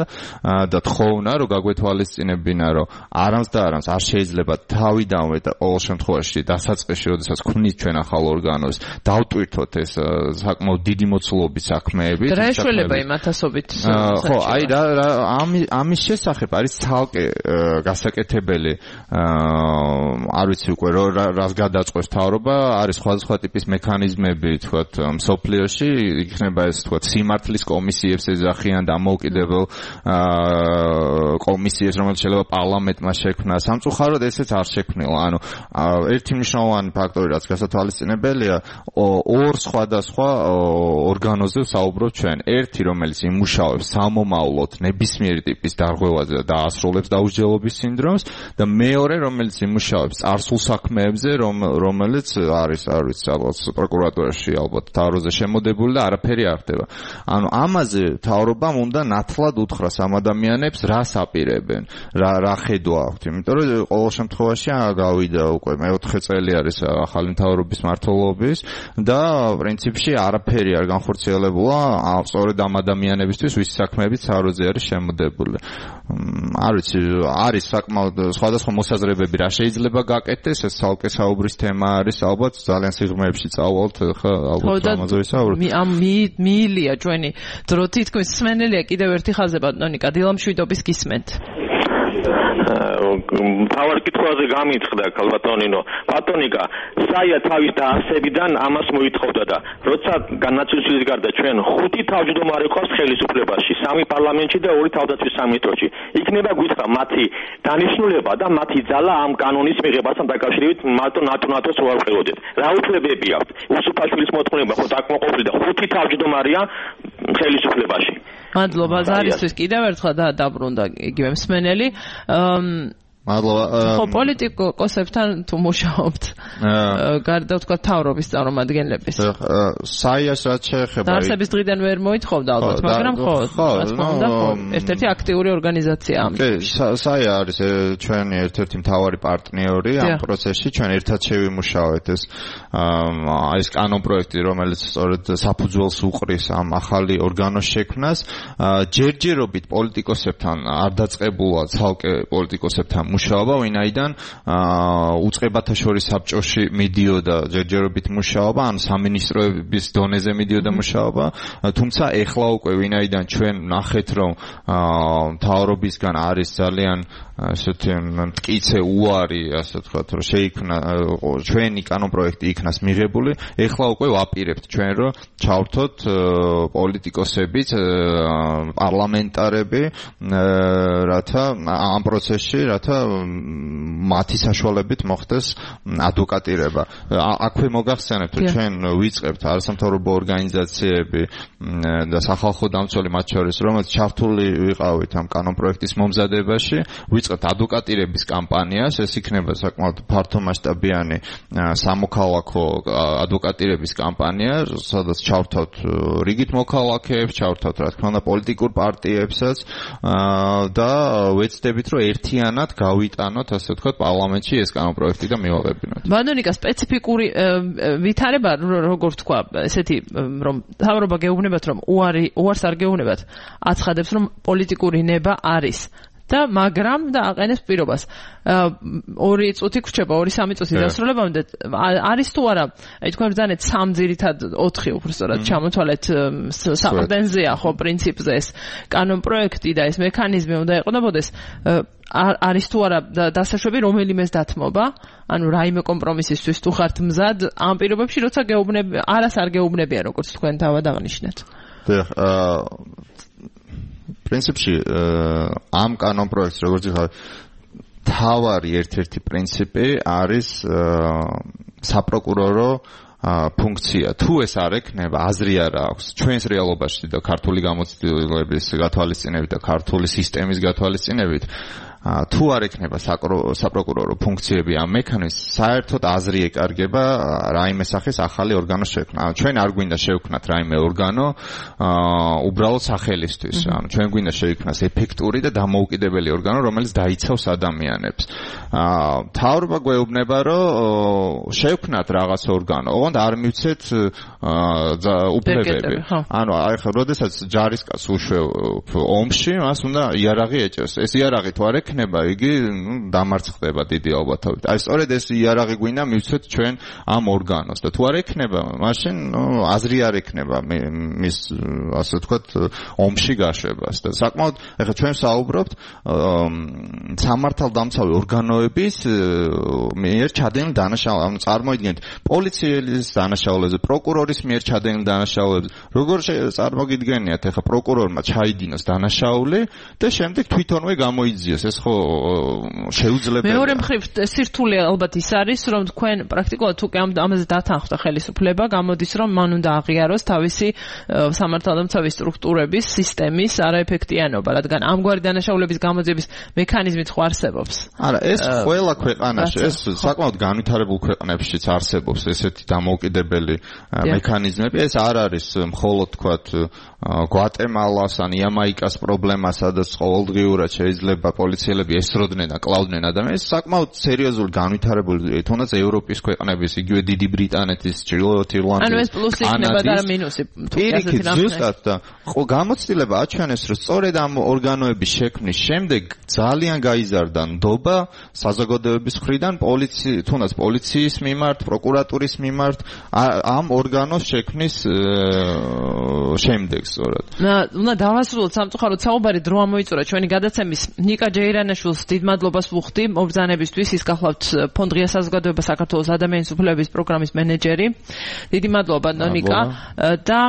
და თხოვნა, რომ გაგვეთვალისწინებინა, რომ არამს და არამს არ შეიძლება თავიდანვე და ყოველ შემთხვევაში დასაწყისში, როდესაც ქმნით ჩვენ ახალ ორგანოს, დავტვირთოთ ეს საკმაოდ დიდი მოცულობის საქმეები. რა ეშველება იმ ათასობით? ხო, აი ამის შესახებ არის ცალკე გასაკეთებელი, არ ვიცი უკვე რას გადაწყვეტს მთავრობა, არის სხვადასხვა ტიპის მექანიზმები, თქვათ, მსოფლიოში, იქნება ეს თქვათ სიმართლის კომისიებს ეძახიან დამოუკიდებელ კომისიებს, რომელიც შეიძლება პარლამენტმა შექმნა. სამწუხაროდ ესეც არ შექმნილა. ანუ ერთი მნიშვნელოვანი ფაქტორი, რაც გასათვალისწინებელია, ორ სხვადასხვა ორგანოზე საუბრობ ჩვენ. ერთი, რომელიც იმუშავებს სამომავლოდ ნებისმიერი ტიპის დარღვევაზე და დაასრულებს დაუსჯელობის სინდრომს და მეორე, რომელიც იმუშავებს წარსულ საქმეებზე, რომელიც არის, არ ვიცი, ალბათ პროკურატურაში, ალბათ თავროზე შემოდებული და არაფერი არ ხდება. ანუ ამაზე მთავრობამ უნდა ნათლად უთხრას ამ ადამიანებს რას აპირებენ, რა ხედვა აქვთ, იმიტომ რომ ყოველ შემთხვევაში გავიდა უკვე მე-4 წელი არის ახალი მთავრობის მმართველობის და პრინციპში არაფერი არ განხორციელებულა სწორედ ამ ადამიანებისთვის, ვის საქმეებით თავროზე არის შემოდებული. არ ვიცი, არის საკმაოდ სხვადასხვა მოსაზრებები რა შეიძლება გაკეთდეს, ეს ცალკე საუბრის თემა არის, ალბათ ძალიან სიღრმეებში წავალთ, ხა ალბათ ამაზე ვისაუბროთ. მიილია ჩვენი დრო თითქმის მსმენელია კიდევ ერთი ხაზი ბატონიკა დილამშვიდობის გისმენთ. თავარ კითხვაზე გამიწყდა ქალბატონინო. ბატონიკა, საია თავის დაარსებიდან ამას მოითხოვდა და როცა განაცვლის გარდა ჩვენ 5 თავმჯდომარე ყავს ხელისუფლებაში, 3 პარლამენტში და 2 თავდაცვის სამინისტროში. იქნება გითხრა მათი დანიშნულება და მათი ძალა ამ კანონის მიღებასთან დაკავშირებით მარტო ნატოს რო არ ვყელოდეთ. რა უფლებები აქვს? უსუფაშვილის მოთხოვნება ხო დაკმაყოფილი და 5 თავმჯდომარეა ხელისუფლებაში. მადლობა ზარისთვის კიდევ ერთხელ დაბრუნდა იგივე მსმენელი. მადლობა. ხო პოლიტიკოსებთან თუ მუშაობთ გარდა თქვა თავრობის წარმომადგენლების. საიას რაც შეეხება დაარსების დღიდან ვერ მოითხოვდა ალბათ, მაგრამ ხო ერთ-ერთი აქტიური ორგანიზაცია ამ. კი, საია არის ჩვენი ერთ-ერთი მთავარი პარტნიორი ამ პროცესში. ჩვენ ერთად შევიმუშავეთ ეს კანონ პროექტი, რომელიც სწორედ საფუძველს უყრის ამ ახალი ორგანოს შექმნას. ჯერჯერობით პოლიტიკოსებთან არ დაწყებულა ცალკე პოლიტიკოსებთან მუშაობა, ვინაიდან უწყებათა შორის საბჭოში მიდიოდა ჯერჯერობით მუშაობა, ან სამინისტროების დონეზე მიდიოდა მუშაობა, თუმცა ეხლა უკვე ვინაიდან ჩვენ ნახეთ, რომ მთავრობისგან არის ძალიან ასეთი მტკიცე უარი, ასე ვთქვათ, რომ შეიქმნა ჩვენი კანონ პროექტი იქნას მიღებული, ეხლა უკვე ვაპირებთ ჩვენ, რომ ჩავრთოთ პოლიტიკოსებიც, პარლამენტარები, რათა ამ პროცესში, რათა მათი საშუალებით მოხდეს ადვოკატირება. აქვე მოგახსენებთ, რომ ჩვენ ვიწყებთ არასამთავრობო ორგანიზაციები და სახალხო დამცველი მათ შორის, რომელიც ჩართული ვიყავით ამ კანონ პროექტის მომზადებაში, ვიწყებთ ადვოკატირების კამპანიას, ეს იქნება საკმაოდ ფართომასშტაბიანი სამოქალაქო ადვოკატირების კამპანია, სადაც ჩავრთავთ რიგით მოქალაქეებს, ჩავრთავთ რა თქმა უნდა პოლიტიკურ პარტიებსაც და ვეცდებით, რომ ერთიანად გავიტანოთ, ასე ვთქვათ, პარლამენტში ეს კანონ პროექტი და მივაყენოთ. ბატონიკა, სპეციფიკური ვითარება, როგორ თქვა, ესეთი რომ თავრობა გეუბნებათ, რომ უარს არ გეუბნებათ, აცხადებს, რომ პოლიტიკური ნება არის. და მაგრამ და აყენებს პირობას. 2 წუთი გრჩება, 2-3 წუთი დასრულებამდე არის თუ არა, აი თქვენ ბრძანეთ 3 ძირითად 4 უბრალოდ ჩამოთვალეთ საყრდენზეა ხო პრინციპზე ეს კანონ პროექტი და ეს მექანიზმი უნდა ეყოლებოდეს. არის თუ არა დასაშვები რომელიმეს დათმობა, ანუ რაიმე კომპრომისისთვის თუ ხართ მზად ამ პირობებში, როცა არას არ გეუბნებიან, როგორც თქვენ თავად აღნიშნეთ. პრინციპში ამ კანონ პროექტს როგორც იხარ თავარი ერთ-ერთი პრინციპი არის საპროკურორო ფუნქცია. თუ ეს არ ექნება, აზრი არ აქვს ჩვენს რეალობაში და ქართული გამოცდილების გათვალისწინებით და ქართული სისტემის გათვალისწინებით, თუ არ ექნება საპროკურორო ფუნქციები ამ მექანიზმს, საერთოდ აზრი ეკარგება რაიმე სახის ახალი ორგანოს შექმნა. ჩვენ არ გვინდა შევქმნათ რაიმე ორგანო უბრალოდ სახელისთვის. ანუ ჩვენ გვინდა შეიქმნას ეფექტური და დამოუკიდებელი ორგანო, რომელიც დაიცავს ადამიანებს. მთავრობა გვეუბნება, რომ შევქმნათ რაღაც ორგანო, ოღონდ არ მივცეთ უფლებები. ანუ ახლა როდესაც ჯარისკაცს უშვებ ომში, მას უნდა იარაღი ეჭერს. ეს იარაღი თუ არ ექნება, იგი დამარცხდება დიდი ალბათობით. აი სწორედ ეს იარაღი გვინდა მივცეთ ჩვენ ამ ორგანოს და თუ არ ექნება, მაშინ აზრი არ ექნება მის ასე ვთქვათ ომში გაშვებას და საკმაოდ ახლა ჩვენ საუბრობთ სამართალდამცავი ორგანოების მიერ ჩადენილ დანაშაულებზე, ანუ წარმოიდგინეთ პოლიციის დანაშაულებზე, პროკურორის მიერ ჩადენილ დანაშაულებზე. როგორ წარმოგიდგენიათ ახლა პროკურორმა ჩაიდინოს დანაშაული და შემდეგ თვითონვე გამოიძიოს, ეს ხო შეუძლებელია. მეორე მხრივ სირთულე ალბათ ის არის, რომ თქვენ პრაქტიკულად უკვე ამაზე დათანხმდა ხელისუფლება, გამოდის რომ მან უნდა აღიაროს თავისი სამართალდამცავი სტრუქტურების სისტემის არაეფექტიანობა, რადგან ამგვარი დანაშაულების გამოძიების მექანიზმით ხო არსებობს. არა, ეს ყველა ქვეყანაში, ეს საკმაოდ განვითარებულ ქვეყნებშიც არსებობს ესეთი დამოუკიდებელი მექანიზმები. ეს არ არის მხოლოდ თქვათ გვატემალას ან იამაიკას პრობლემა, სადაც ყოველდღიურად შეიძლება პოლიციელები ესროდნენ და კლავდნენ ადამიანებს. საკმაოდ სერიოზული განვითარებული, თუნდაც ევროპის ქვეყნების, იგივე დიდი ბრიტანეთის, ჩრდილოეთ ირლანდიის, ანუ ეს პლუსი იქნება და მინუსი. პირიქით ზუსტად და გამოცდილება აჩვენეს, რომ სწორედ ამ ორგანოების შექმნის შემდეგ ძალიან გაიზარდა ნდობა საზოგადოების მხრიდან თუნდაც პოლიციის მიმართ, პროკურატურის მიმართ ამ ორგანოს შექმნის შემდეგ სწორად. უნდა დავასრულოთ სამწუხაროდ საუბარი დრო ამოიწურა ჩვენი გადაცემის ნიკა ჯეირანაშვილს დიდ მადლობას ვუხდი მობრძანებისთვის ის გახლავთ ფონდ ღია საზოგადოება საქართველოს ადამიანის უფლებების პროგრამის მენეჯერი. დიდი მადლობა ნიკა და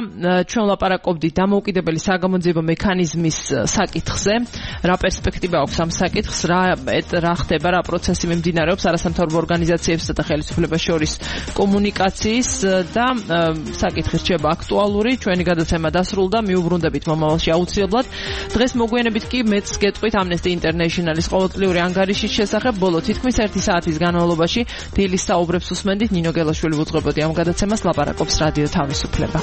ჩვენ ვლაპარაკობდით დამოუკიდებელი საგამოძიებო მექანიზმის საკითხზე. რა პერსპექტივა აქვს ამ საკითხს, რა ხდება, რა პროცესი მიმდინარეობს არასამთავრობო ორგანიზაციებსა და ხელისუფლებას შორის კომუნიკაციის და საკითხი რჩება აქტუალური. ჩვენი გადაცემა დასრულდა, მიუბრუნდებით მომავალში აუცილებლად. დღეს მოგვიანებით კი მეც გეტყვით Amnesty International-ის ყოველწლიური ანგარიშის შესახებ. ბოლო თითქმის 1 საათის განმავლობაში დილის საუბრებს უსმენდით. ნინო გელაშვილი უძღვებოდი ამ გადაცემას, ლაპარაკობს რადიო თავისუფლება.